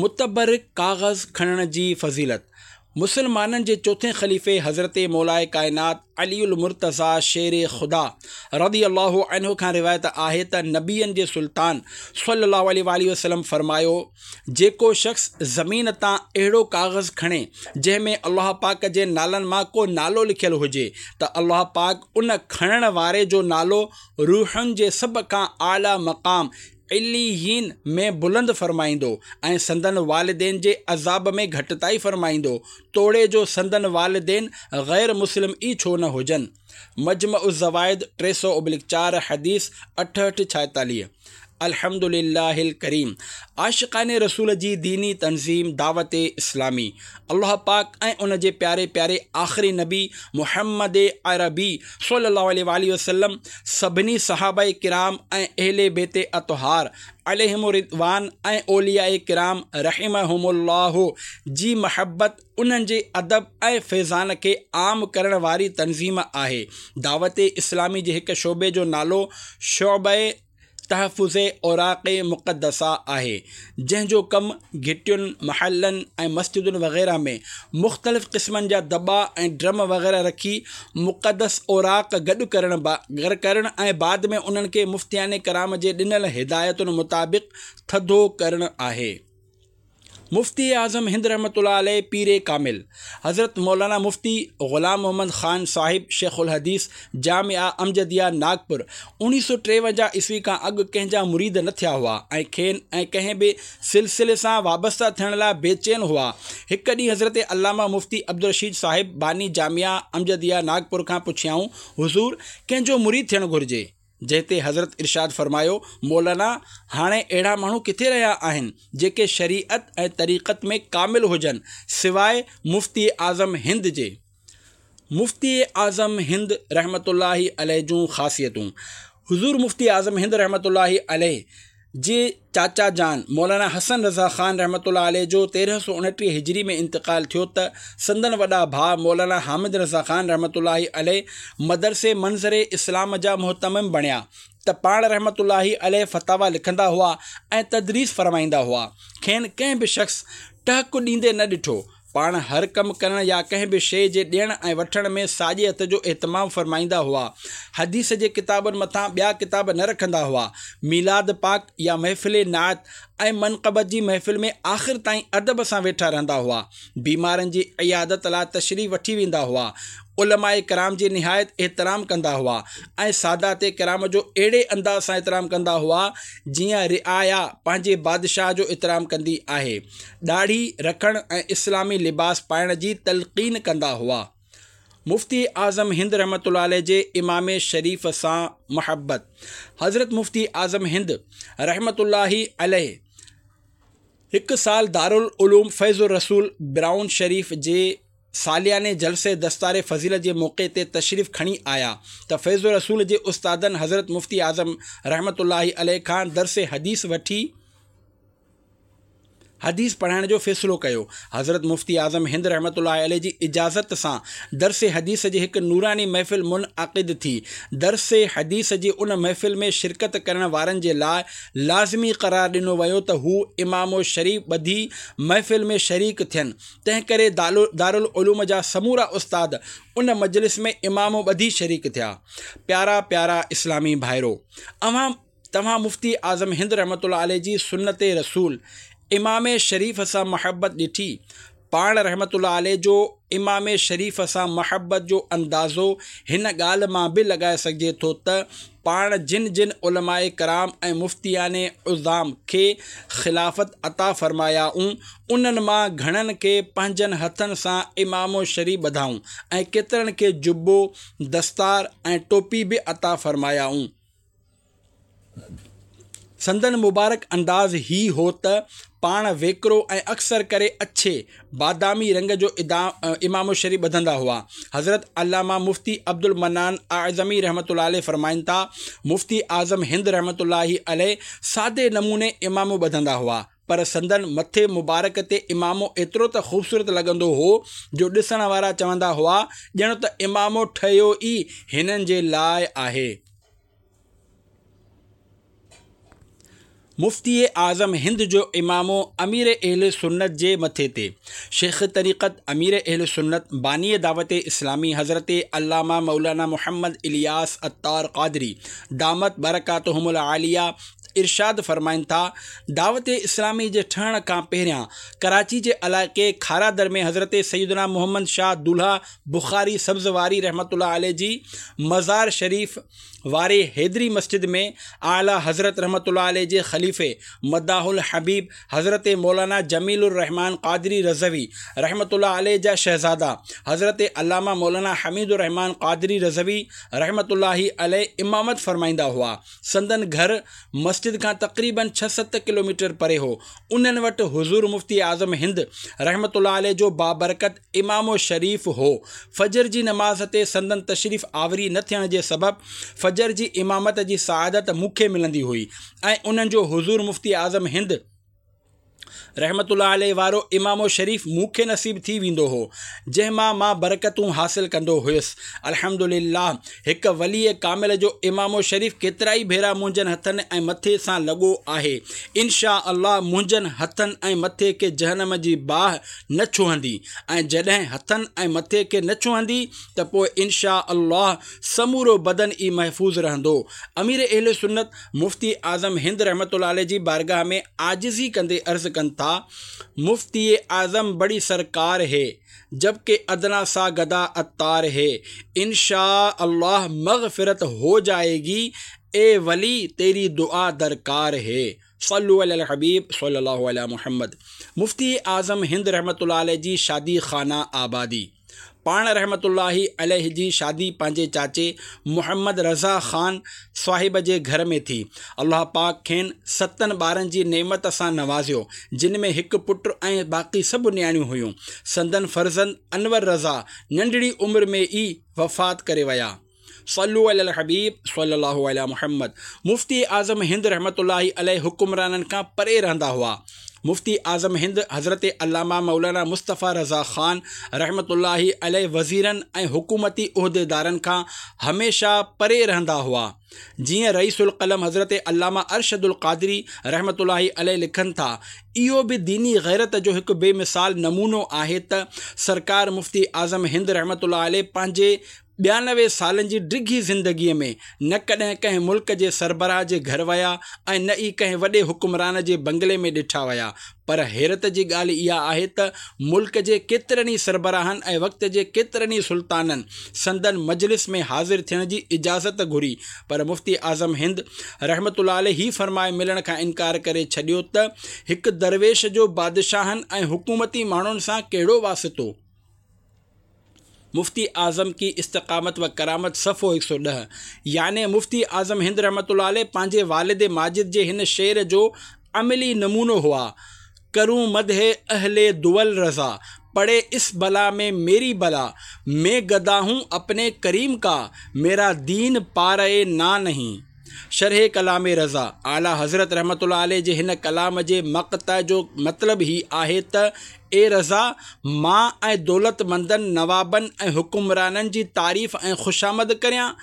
متبرڪ ڪاغذ کڻڻ جي فضيلت मुसलमाननि जे चोथें ख़लीफ़े हज़रत मौलाए कायनात अली उल-मुर्तज़ा शेर ख़ुदा रज़ी अल्लाहु अन्हु खां रिवायत आहे त नबियनि जे सुल्तान सल्लल्लाहु अलैहि वसल्लम फ़रमायो, जेको शख़्स ज़मीन तां अहिड़ो काग़ज़ खणे जंहिं में अल्लाह पाक जे नालनि मां को नालो लिखियलु हुजे त अल्लाह पाक उन खणण वारे जो नालो रूहुनि जे सभ खां आला मक़ाम इलीयीन में बुलंद फ़रमाईंदो ऐं संदन वालिदैन जे अज़ाब में घटिताई फ़रमाईंदो, तोड़े जो संदन वालिदैन ग़ैर मुस्लिम ई छो न हुजनि। मजमा उज़-ज़वाइद टे सौ ओब्लिक चार, हदीस अठहठि छाएतालीह। अल्हम्दुलिल्लाहिल करीम। आशिक़ान रसूल जी दीनी तंज़ीम दावत इस्लामी अल्लाह पाक ऐं उन जे प्यारे प्यारे आख़िरी नबी मुहम्मद अरबी सल्लल्लाहु अलैहि वसल्लम सभिनी सहाबा किराम ऐं अहले बेत अतहार अलैहिम रिदवान ऐं औलिया किराम रहिमहुमुल्लाह जी महब्बत उन्हनि जे अदब ऐं फैज़ान खे आम करण वारी तंज़ीम आहे। दावत इस्लामी जे हिकु शोबे जो नालो शोबे तहफ़ुज़ औराक़ मुक़द्दसा आहे, जंहिंजो कमु घिटियुनि, महलनि ऐं मस्जिदुनि वग़ैरह में मुख़्तलिफ़ क़िस्मनि जा दॿा ऐं ड्रम वग़ैरह रखी मुक़द्दस औराक़ गॾु करण करण ऐं बाद में उन्हनि खे मुफ्तियान कराम जे ॾिनल हिदायतुनि मुताबिक़ थधो करणु आहे। मुफ्ती आज़म हिंद रहमतुल्लाह अलैह पीर कामिल हज़रत मौलाना मुफ्ती ग़ुलाम मोहम्मद ख़ान साहिब शेखुल हदीस जामिया अमजदिया नागपुर उणिवीह सौ टेवंजाह ईस्वी खां अॻु कंहिंजा मुरीद न थिया हुआ ऐं खेनि ऐं कंहिं बि सिलसिले सां वाबस्ता थियण लाइ बेचैन हुआ। हिकु ॾींहुं हज़रत अल्लामा मुफ्ती अब्दुल रशीद साहिब बानी जामिया अमजदिया नागपुर खां पुछियाऊं, हुज़ूर कंहिंजो मुरीद थियणु घुरिजे? जंहिं ते हज़रत इरशाद फ़रमायो, मौलाना हाणे अहिड़ा माण्हू किथे रहिया आहिनि जेके शरीअत ऐं तरीक़त में कामिल हुजनि सिवाय मुफ्ती आज़म हिंद जे। मुफ्ती आज़म हिंद रहमतुल्लाहि अलैह जूं ख़ासियतूं। हुज़ूर मुफ्ती आज़म हिंद रहमतुल्लाहि अलैह जे चाचा जान मौलाना हसन रज़ा ख़ान रहमतुल्लाह अलैह जो तेरहं सौ उणिटीह हिजरी में इंतकाल थियो त संदन वॾा भाउ मौलाना हामिद रज़ा ख़ान रहमतुल्लाहि अलैह मदरसे मंज़र इस्लाम जा मुहतमिम बणिया त पाण रहमतुल्लाहि अलैह फतावा लिखंदा हुआ ऐं तदरीस फरमाईंदा हुआ। खेनि कंहिं बि शख़्स टहक ॾींदे न ॾिठो। पाण हर कमु करण या कंहिं बि शइ जे ॾियण ऐं वठण में साॼे हथ जो एहतमाम फरमाईंदा हुआ। हदीस जे किताबनि मथां ॿिया किताब न रखंदा हुआ। मीलाद पाक या महफ़िल नात ऐं मनक़बत जी महफ़िल में आख़िर ताईं अदब सां वेठा रहंदा हुआ। बीमारनि जी इयादत लाइ तशरीफ़ वठी वेंदा हुआ। उलमाए कराम जी निहायत एहतराम कंदा हुआ ऐं सादात कराम जो अहिड़े अंदाज़ सां एहतराम कंदा हुआ जीअं रिआया पंहिंजे बादशाह जो एहतराम कंदी आहे। ॾाढ़ी रखण ऐं इस्लामी लिबास पाइण जी तलक़ीन कंदा हुआ। मुफ्ती आज़म हिंद रहमतुल्लाह अलैह जे इमाम शरीफ़ सां मुहब्बत। हज़रत मुफ्ती आज़म हिंद रहमतुल्लाहि अलैह हिकु साल दारुल उलूम फैज़ुर रसूल ब्राउन शरीफ़ जे सालियाने जलसे दस्तार फ़ज़ीलत जे मौक़े ते तशरीफ़ खणी आया त फैज़ुर रसूल जे उस्तादनि हज़रत मुफ्ती आज़म रहमतुल्लाहि अलैह खां दर्स हदीस वठी हदीस पढ़ाइण जो फ़ैसिलो कयो। हज़रत मुफ्ती आज़म हिंद रहमतुल्लाहि अलैह जी इजाज़त सां दर्स हदीस जी हिकु नूरानी महफ़िल मुनअक़िद थी। दर्स हदीस जी उन महफ़िल में शिरकत करण वारनि जे लाइ लाज़मी करार ॾिनो वियो त हू इमामो शरीफ़ ॿधी महफ़िल में शरीक थियनि। तंहिं करे दारुल उलूम जा समूरा उस्ताद उन मजलिस में इमामो ॿधी शरीक थिया। प्यारा प्यारा इस्लामी भाइरो, अवां तव्हां मुफ्ती आज़म हिंद रहमतुल्लाहि अलैह जी सुन्नत रसूल इमाम शरीफ़ सां मुहब्बत ॾिठी। पाण रहमतुल्लाह अलैह जो इमाम शरीफ़ सां मुहब्बत जो अंदाज़ो हिन ॻाल्हि मां बि लॻाए सघिजे थो त पाण जिन जिन उलमाए कराम ऐं मुफ्तियान उज़ाम खे ख़िलाफ़त अता फ़रमायाऊं उन्हनि मां घणनि खे पंहिंजनि हथनि सां इमामो शरीफ़ ॿधाऊं ऐं केतिरनि खे जुब्बो, दस्तार ऐं टोपी बि अता फ़रमायाऊं। संदन मुबारक अंदाज़ ही हो त पाण वेकरो ऐं अक्सर करे अच्छे बादामी रंग जो इमाम शरीफ़ ॿधंदा हुआ। हज़रत अल्लामा मुफ्ती अब्दुल मनान आज़मी रहमतुल्लाह अलैह फ़रमाइनि था, मुफ्ती आज़म हिंद रहमतुल्लाहि अलैह सादे नमूने इमामो ॿधंदा हुआ, पर संदन मथे मुबारक ते इमामो एतिरो त ख़ूबसूरत लॻंदो हो जो ॾिसण वारा चवंदा हुआ ॼण त इमामो ठहियो ई हिननि जे लाइ आहे। مفتي اعظم هند جو امامو امير اهل سنت جي مٿي تي. شيخ طريقت امير اهل سنت باني دعوت اسلامي حضرت علامه مولانا محمد الياس عطار قادري دامت برڪاتهم العاليه ارشاد فرمائن ٿا، دعوت اسلامي جي ٺهڻ کان پهريان ڪراچي جي علائقي کارادر ۾ حضرت سيدنا محمد شاهه دولهه بخاري سبز واري رحمة الله عليه جي مزار شريف واري حيدري مسجد ۾ اعليٰ حضرت رحمة الله عليه جي خليفي مداح الحبيب حضرت مولانا جميل الرحمان قادري رضوي رحمة الله عليه جا شهزاده حضرت علامه مولانا حميد الرحمان قادري رضوي رحمة الله عليه امامت فرمائيندا هئا. سندن گهر مسجد کان تقريباً ڇهه ست ڪلوميٽر پري هو. انهن وٽ حضور مفتي اعظم هند رحمة الله عليه جو بابرڪت امامو شريف هو. فجر جي نماز تي سندن تشريف آوري نه ٿيڻ جي سبب فجر جي امامت جي سعادت مون کي ملندي هئي ۽ انهن جو حضور مفتي اعظم هند رحمة الله عليه وارو امامو شريف مون کي نصيب ٿي ويندو هو، جنهن مان مان برڪتون حاصل ڪندو هيس. الحمد لله هڪ ولي ڪامل جو امامو شريف ڪيترائي ڀيرا منهنجن هٿن ۽ مٿي سان لڳو آهي. ان شاء الله منهنجن هٿن ۽ مٿي کي جهنم جي باهه نه ڇهندي ۽ جڏهن هٿن ۽ مٿي کي نه ڇهندي ته پوء ان شاء الله سمورو بدن ئي محفوظ رهندو. امير اهل سنت مفتي اعظم هند رحمة الله عليه جي بارگاهه ۾ عاجزي ڪندي عرض ڪن ٿا، مفتي اعظم بڙي سرڪار هي، جبڪه ادنيٰ سا گدا عطار هي، ان شاء الله مغفرت هو جائيگي، اي ولي تيري دعا درڪار هي. صلو علي الحبيب صلي الله علي محمد. مفتي اعظم هند رحمة الله عليه جي شادي خانه آبادي. پاڻ رحمة الله عليه جي شادي پنهنجي چاچي محمد رضا خان صاحب جي گهر ۾ ٿي. الله پاڪ کين ستن ٻارن جي نعمت سان نوازيو، جن ۾ هڪ پٽ ۽ باقي سڀ نياڻيون هيون. سندن فرزند انور رضا ننڍڙي عمر ۾ ئي وفات ڪري ويا. صلو علي الحبيب صلي الله علي محمد. مفتي اعظم هند رحمة الله عليه حڪمرانن کان پري رهندا هئا. مفتي اعظم هند حضرت علامه مولانا مصطفيٰ رضا خان رحمة الله عليه وزيرن ۽ حڪومتي عهديدارن کان هميشه پري رهندا هئا. جيئن رئيس القلم حضرت علامه ارشد القادري رحمة الله عليه لکن ٿا، اهو به ديني غيرت جو هڪ بي مثال نمونو آهي ته سرڪار مفتي اعظم هند رحمة الله عليه پنهنجي ٻيانوي سالن جي ڊگهي زندگيء ۾ نه ڪڏهن ڪنهن ملڪ جي سربراهه جي گهر ويا ۽ نه ئي ڪنهن وڏي حڪمران جي بنگلي ۾ ڏٺا ويا پر حيرت جي ڳالهه اها آهي ته ملڪ جي ڪيترن ئي سربراهن ۽ وقت جي ڪيترن ئي سلطانن سندن مجلس ۾ حاضر ٿيڻ جي اجازت گهري پر مفتي اعظم هند رحمة الله عليه هي فرمائي ملڻ کان انڪار ڪري ڇڏيو ته هڪ درويش جو بادشاهن ۽ حڪومتي ماڻهن سان ڪهڙو واسطو؟ مفتي اعظم ڪي استقامت و ڪرامت صفحو هڪ سؤ ڏهه يعني مفتي اعظم هند رحمة الله عليه پنهنجي والد ماجد جي هن شعر جو عملي نمونو هئا، ڪرون مدح اهل دول رضا، پڙي اس بلا ۾ ميري بلا، مين گدا هون اپني ڪريم ڪا، ميرا دين پاره نا نهين. شرح ڪلام رضا، اعليٰ حضرت رحمة الله عليه جي هن ڪلام جي مقطع جو مطلب هي آهي ته اي رضا! مان ۽ دولتمندن، نوابن ۽ حڪمرانن جي تعريف ۽ خوشامد ڪريان؟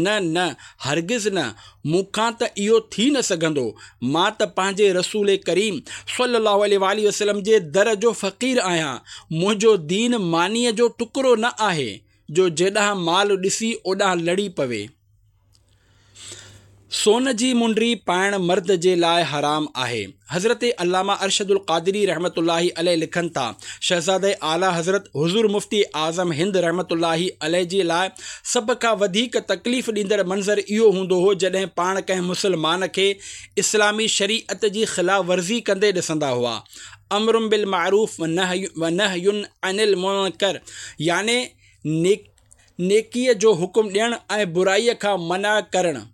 نه نه، هرگز نه، مون کان ته اهو ٿي نه سگهندو. مان ته پنهنجي رسول ڪريم صلّي الله عليه واٰله وسلّم جي در جو فقير آهيان، منهنجو دين مانيء جو ٽڪرو نه آهي، جو جيڏانهن مال ڏسي اوڏانهن لڙي پوي. سون جي منڊي پائڻ مرد جي لاء حرام آهي. حضرت علامه ارشد القادري رحمة الله عليه لکن ٿا، شهزاده اعليٰ حضرت حضور مفتي اعظم هند رحمة الله عليه جي لاء سڀ کان وڌيڪ تڪليف ڏيندڙ منظر اهو هوندو هو جڏهن پاڻ ڪنهن مسلمان کي اسلامي شريعت جي خلاف ورزي ڪندي ڏسندا هئا. امر بالمعروف ونهي عن المنڪر يعني نيڪيء جو حڪم ڏيڻ ۽ برائيء کان منع ڪرڻ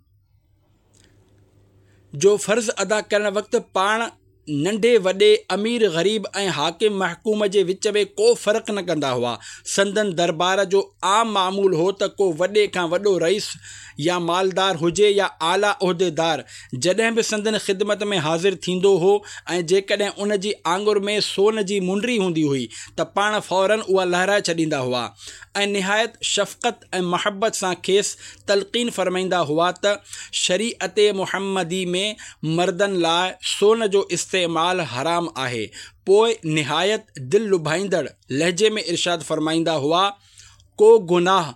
جو فرض ادا ڪرڻ وقت پاڻ ننڍي وڏي، امير غريب ۽ حاڪم محڪوم جي وچ ۾ ڪو فرق نه ڪندا هئا. سندن دربار جو عام معمول هو ته ڪو وڏي کان وڏو رئيس يا مالدار هجي يا اعليٰ عهديدار، جڏهن به سندن خدمت ۾ حاضر ٿيندو هو ۽ جيڪڏهن ان جي آڱر ۾ سون جي منڊي هوندي هئي ته پاڻ فوراً اها لهرائي ڇڏيندا هئا ۽ نهايت شفقت ۽ محبت سان کيس تلقين فرمائيندا هئا ته شريعت محمدي ۾ مردن لاء سون جو استعمال حرام آهي. پوء نهايت دل لڀائيندڙ لهجي ۾ ارشاد فرمائيندا هئا، ڪو گناهه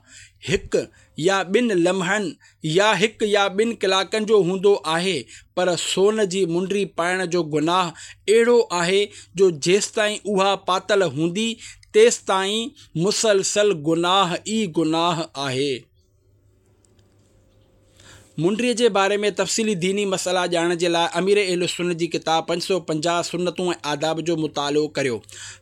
هڪ يا ٻن لمحن يا هڪ يا ٻن ڪلاڪن جو هوندو آهي، پر سون جي منڊي پائڻ جو گناهه اهڙو آهي جو جيستائين اها پاتل هوندي تيستائين مسلسل گناهه ئي گناهه آهي. منڊيء جي باري ۾ تفصيلي ديني مسئلا ڄاڻڻ جي لاء امير اهل سنت جي ڪتاب پنج سؤ پنجاهه سنتون ۽ آداب جو مطالعو ڪريو.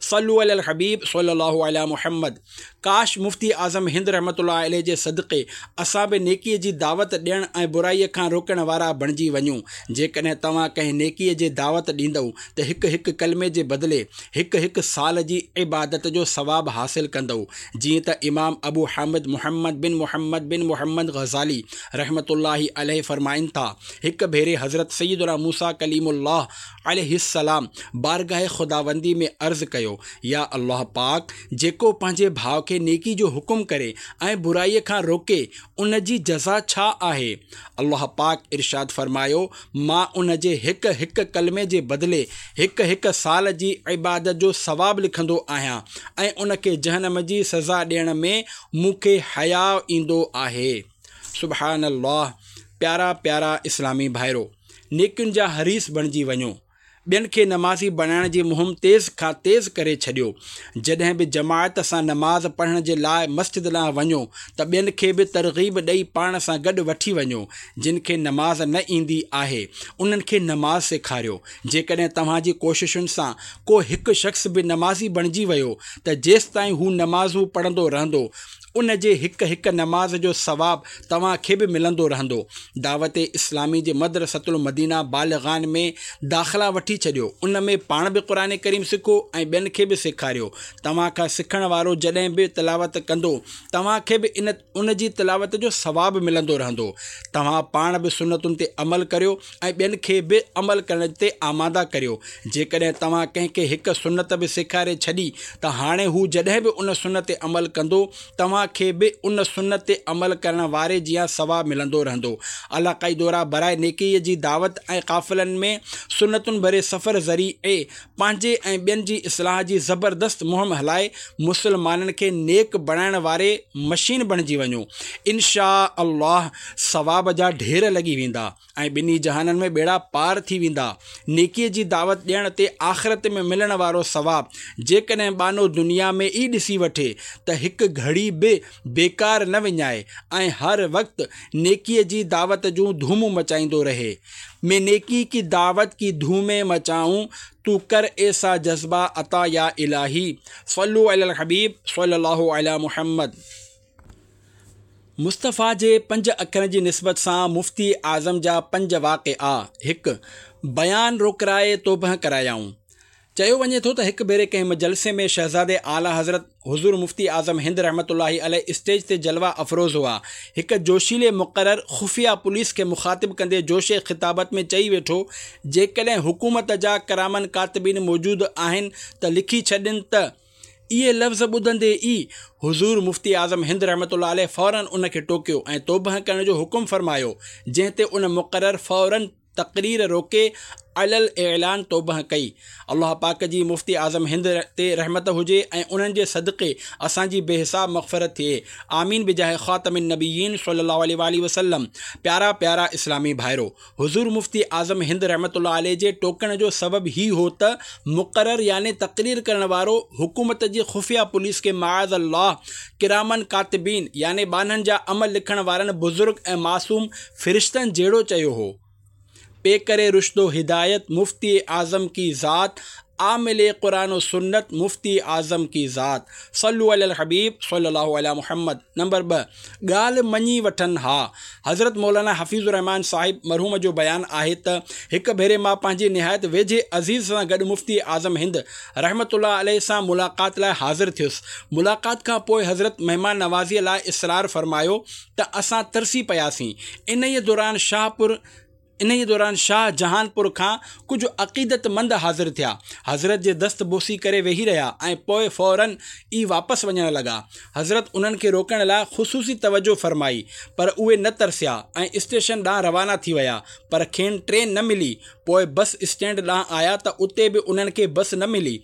صلو علي الحبيب صلي الله علي محمد. ڪاش مفتي اعظم هند رحمة الله عليه جي صدقي اسان به نيڪيء جي دعوت ڏيڻ ۽ برائيء کان روڪڻ وارا بڻجي وڃون. جيڪڏهن توهان ڪنهن نيڪيء جي دعوت ڏيندؤ ته هڪ هڪ ڪلمي جي بدلي هڪ هڪ سال جي عبادت جو ثواب حاصل ڪندؤ. جيئن ته امام ابو حامد محمد بن محمد بن محمد غزالي رحمة الله عليه فرمائن ٿا، هڪ ڀيري حضرت سيدنا موسيٰ ڪليم الله عليه السلام بارگاھ خداوندي ۾ عرض ڪيو، يا الله پاڪ! جيڪو پنهنجي ڀاء کي نيڪي جو حڪم ڪري ۽ برائي کان روڪي ان جي جزا ڇا آهي؟ الله پاڪ ارشاد فرمايو، مان ان جي هڪ هڪ ڪلمي جي بدلي هڪ هڪ سال جي عبادت جو ثواب لکندو آهيان ۽ ان کي جهنم جي سزا ڏيڻ ۾ مون کي حياء ايندو آهي. سبحان الله! پيارا پيارا اسلامي ڀائرو! نيڪين جا حريص بڻجي وڃو. ٻين کي نمازي بڻائڻ جي مهم تيز کان تيز ڪري ڇڏيو. جڏهن به جماعت سان نماز پڙهڻ جي لاء مسجد ڏانهن وڃو ته ٻين کي به ترغيب ڏئي پاڻ سان گڏ وٺي وڃو. جن کي نماز نه ايندي آهي انهن کي نماز سيکاريو. جيڪڏهن توهان جي ڪوششن سان ڪو هڪ شخص به نمازي بڻجي ويو ته جيستائين هو نمازون پڙهندو رهندو ان جي هڪ هڪ نماز جو ثواب توهان کي به ملندو رهندو. دعوت اسلامي جي مدرسة المدينه بالغان ۾ داخلا وٺي ڇڏيو، ان ۾ پاڻ به قرآن ڪريم سکو ۽ ٻين کي به سيکاريو. توهان کان سکڻ وارو جڏهن به تلاوت ڪندو توهان کي به ان ان جي تلاوت جو ثواب ملندو رهندو. توهان پاڻ به سنتن تي عمل ڪريو ۽ ٻين کي به عمل ڪرڻ تي آماده ڪريو. جيڪڏهن توهان ڪنهن کي هڪ سنت به سيکاري ڇڏي ته هاڻي هو جڏهن به ان سنت تي عمل ڪندو توهان کي به ان سنت تي عمل ڪرڻ واري جيان ثواب ملندو رهندو. علاقائي دورا برائي نيڪيء جي دعوت ۽ قافلن ۾ سنتن ڀري سفر ذريعي پنهنجي ۽ ٻين جي اصلاح جي زبردست مهم هلائي مسلمانن کي نيڪ بڻائڻ واري مشين بڻجي وڃو. انشاء الله ثواب جا ڍير لڳي ويندا ۽ ٻنهي جهانن ۾ ٻيڙا پار ٿي ويندا. نيڪيء جي دعوت ڏيڻ تي آخرت ۾ ملڻ وارو ثواب جيڪڏهن ٻانهو دنيا ۾ ئي ڏسي وٺي ته هڪ گهڙي به بيڪار نه وڃائي ۽ هر وقت نيڪيء جي دعوت جون ڌومون مچائيندو رهي. مين نيڪي ڪي دعوت ڪي ڌومين مچائون تو ڪر ايسا جذبه عطا يا الاهي. صلو علي الحبيب صلي الله علي محمد. مصطفيٰ جي پنج اکرن جي نسبت سان مفتي اعظم جا پنج واقعا، هڪ. بيان روڪرائي توبهه ڪرايائون. چيو وڃي ٿو ته هڪ ڀيري ڪنهن جلسي ۾ شهزادي اعليٰ حضرت حضور مفتي اعظم هند رحمة الله عليه اسٽيج تي جلوه افروز هئا. هڪ جوشيلي مقرر خفيه پوليس کي مخاطب ڪندي جوش خطابت ۾ چئي ويٺو، جيڪڏهن حڪومت جا ڪراماً ڪاتبين موجود آهن ته لکي ڇڏين ته اهي لفظ ٻڌندي ئي حضور مفتي اعظم هند رحمة الله عليه فوراً ان کي ٽوڪيو ۽ توبهه ڪرڻ جو حڪم فرمايو، جنهن تي ان مقرر فوراً تقرير روڪي علي الاعلان توبهه ڪئي. الله پاڪ جي مفتي اعظم هند تي رحمت هجي ۽ انهن جي صدقي اسان جي بي حساب مغفرت ٿئي. آمين بجاه خاتم النبيين صلي الله عليه واٰله وسلم. پيارا پيارا اسلامي ڀائرو! حضور مفتي اعظم هند رحمة الله عليه جي ٽوڪڻ جو سبب هي هو ته مقرر يعني تقرير ڪرڻ وارو حڪومت جي خفيه پوليس کي معاذ الله ڪراماً ڪاتبين يعني ٻانهن جا عمل لکڻ وارن بزرگ ۽ معصوم فرشتن جهڙو چيو هو. پيڪر رشد و هدايت مفتي اعظم ڪي ذات عامل قرآن و سنت مفتي اعظم की ذات. صلو علی الحبيب صلي الله علي محمد. نمبر ٻه، ڳالهه مڃي وٺن ها. حضرت مولانا حفيظ الرحمان صاحب مرحوم جو بيان آهي ته هڪ ڀيري مان پنهنجي نهايت ويجهي عزيز سان گڏ مفتي اعظم هند رحمة الله عليه سان ملاقات لاء حاضر ٿيس. ملاقات کان پوء حضرت مهمان نوازيء لاء اصرار فرمايو ته اسان ترسي پياسين. انهيء دوران شاهپور انهيء دوران شاهه جهان پور کان ڪجهه عقيدتمند حاضر ٿيا. حضرت جي دست بوسي ڪري ويهي رهيا ۽ پوء فوراً ئي واپس وڃڻ لڳا. حضرت انهن کي روڪڻ لاء خصوصي توجهه فرمائي، پر اهي نه ترسيا ۽ اسٽيشن ڏانهن روانا ٿي ويا، پر کين ٽرين نه ملي. پوء بس اسٽينڊ ڏانهن آيا ته اتي به انهن کي بس نه ملي.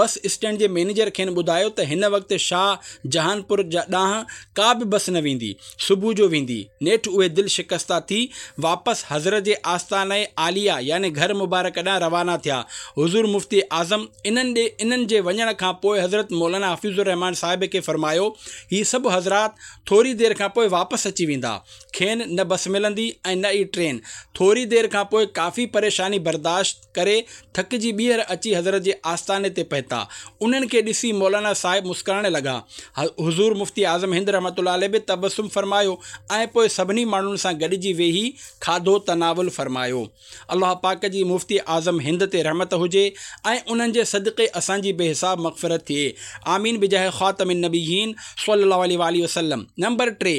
بس اسٽينڊ جي مئنيجر کين ٻڌايو ته هن وقت شاهه جهان پور ڏانهن ڪا به بس نه ويندي، صبح جو ويندي. نيٺ اهي دل شڪسته ٿي واپس حضرت جي آستانه عاليه يعني گهر مبارڪ ڏانهن روانا ٿيا. حضور مفتي اعظم انهن ڏي انهن جي وڃڻ کان پوء حضرت مولانا حفيظ الرحمان صاحب کي فرمايو، هي سڀ حضرات ٿوري دير کان پوء واپس اچي ويندا. کين نه بس ملندي ۽ نه ئي ٽرين. ٿوري دير کان پوء ڪافي پريشاني برداشت ڪري ٿڪجي ٻيهر اچي حضرت جي آستاني تي پهتا. انهن کي ڏسي مولانا صاحب مسڪرائڻ لڳا. حضور مفتي اعظم هند رحمة الله عليه به تبسم فرمايو ۽ پوء سڀني ماڻهن سان گڏجي ويهي کاڌو تناول فرمايو. الله پاڪ جي مفتي اعظم هند تي رحمت هجي ۽ انهن جي صدقي اسان جي بي حساب مغفرت ٿئي. آمين بجاه خاتم النبيين صلي الله عليه واٰله وسلم. نمبر ٽي،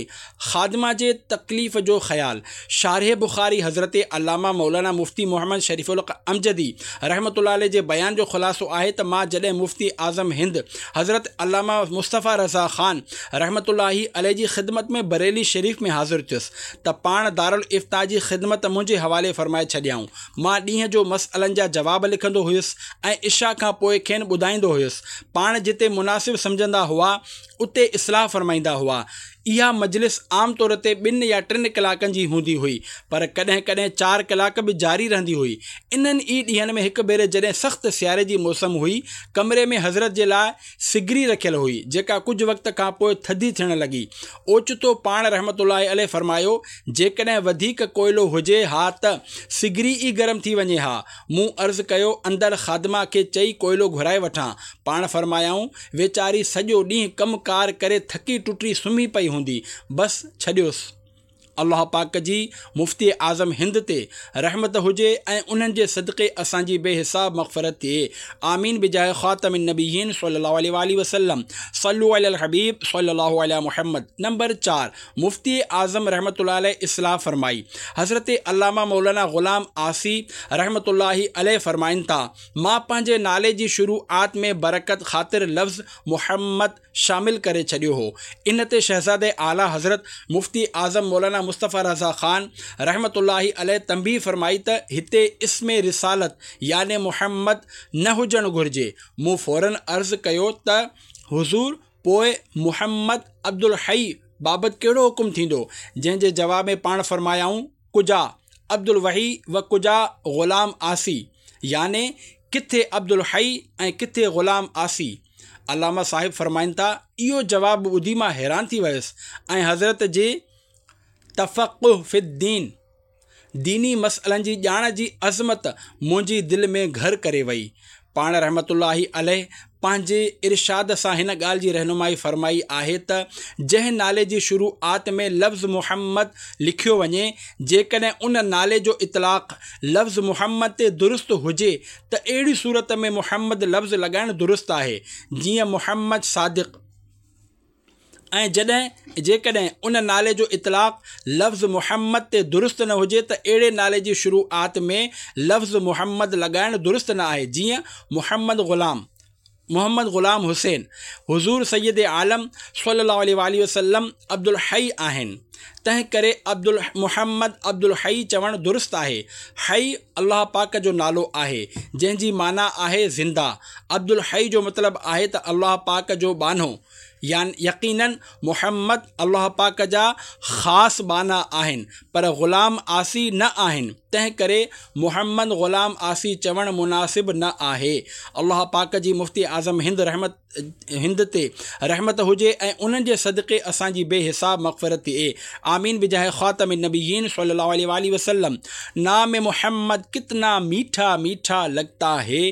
خادمه جي تڪليف جو خيال. شارح بخاري حضرت علامه مولانا مفتي محمد شريف الحق امجدي رحمة الله عليه جي بيان جو خلاصو آهي ته مان جڏهن مفتي اعظم هند حضرت علامه مصطفيٰ رضا خان رحمة الله عليه جي خدمت ۾ بريلي شريف ۾ حاضر ٿيس ته پاڻ دارالافتاء جي خدمت منهنجي حوالي فرمائي ڇڏيائون. مان ڏينهن جو مسئلن جا جواب لکندو هيس ۽ عشاء کان پوء کين ٻڌائيندو هيس. پاڻ جتي مناسب سمجهندا هئا اتي اصلاح فرمائيندا هئا. اها مجلس عام طور تي ٻن يا ٽن ڪلاڪن جي هوندي هئي، پر ڪڏهن ڪڏهن چار ڪلاڪ به جاري رهندي هئي. انهن ئي ڏينهن ۾ هڪ ڀيري جڏهن سخت سياري جي موسم هئي، ڪمري ۾ حضرت جي لاء سگري رکيل هئي، جيڪا ڪجهه وقت کان پوء ٿڌي ٿيڻ لڳي. اوچتو پاڻ رحمة الله عليه فرمايو، جيڪڏهن وڌيڪ ڪوئلو هجي ها ته سگري ئي گرم ٿي وڃي ها. مون عرض ڪيو، اندر خادمه کي چئي ڪوئلو گهرائي وٺان. پاڻ فرمايائون، ويچاري سڄو ڏينهن ڪم ڪار ڪري ٿڪي ٽٽي سمهي پئي هوندي، بس ڇڏيوس. الله پاڪ جي مفتي اعظم هند تي رحمت هجي ۽ انهن جي صدقي اسان جي بي حساب مغفرت ٿئي. آمين بجاه خاتم النبيين صلي الله عليه واٰله وسلم. صلو علی الحبيب صلي الله علي محمد. نمبر چار، مفتي اعظم رحمة الله عليه اصلاح فرمائي. حضرت علامه مولانا غلام عاصي رحمة الله عليه فرمائن ٿا، مان پنهنجي نالي جي شروعات ۾ برڪت خاطر لفظ محمد شامل ڪري ڇڏيو هو. ان تي شهزاده اعليٰ حضرت مفتي اعظم مولانا مصطفيٰ رضا خان رحمة الله عليه تنبيهه فرمائي ته هتي اسم رسالت يعني محمد نه هجڻ گهرجي. مون فوراً عرض ڪيو ته حضور پوء محمد عبدالحي بابت ڪهڙو حڪم ٿيندو؟ جنهن جي جواب ۾ پاڻ فرمايائون، ڪجا عبدالوحي و ڪجا غلام عاصي يعني ڪٿي عبدالحي ۽ ڪٿي غلام عاصي. علامه صاحب فرمائن ٿا، اهو جواب ٻڌي مان حيران ٿي ويس ۽ حضرت جي تفقه في الدين، ديني مسئلن جي ڄاڻ جي عظمت منهنجي دل ۾ گهر ڪري وئي. پاڻ رحمة الله عليه پنهنجي ارشاد سان هن ڳالهه جي رهنمائي فرمائي آهي ته جنهن نالي جي شروعات ۾ لفظ محمد لکيو وڃي، جيڪڏهن ان نالي جو اطلاق لفظ محمد تي درست هجي ته اهڙي صورت ۾ محمد لفظ لڳائڻ درست آهي، جيئن محمد صادق. ۽ جڏهن جيڪڏهن ان نالي جو اطلاق لفظ محمد تي درست نه هجي ته اهڙي نالي جي شروعات ۾ لفظ محمد لڳائڻ درست نه آهي، جيئن محمد غلام، محمد غلام حسين. حضور سيد عالم صلي الله عليه واٰله وسلم عبدالحي آهن، تنهن ڪري محمد عبدالحي چوڻ درست آهي. حي الله پاڪ جو نالو آهي، جنهن جي معنيٰ آهي زنده. عبدالحي جو مطلب آهي ته الله پاڪ جو ٻانهو. يقيناً محمد الله پاڪ جا خاص ٻانها آهن، پر غلام عاصي نه آهن، تنهن ڪري محمد غلام عاصي چوڻ مناسب نه آهي. الله پاڪ جي مفتي اعظم هند رحمت هند تي رحمت هجي ۽ انهن جي صدقي اسان جي بي حساب مغفرت ٿئي. آمين بجاه خاتم النبيين صلي الله عليه واله وسلم. نام محمد ڪتنا ميٺا ميٺا لگتا هي،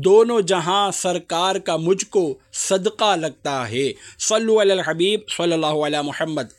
دونو جهان سرڪار ڪا مجهه ڪو صدقه لگتا هي. صلو علي الحبيب صلي الله علي محمد.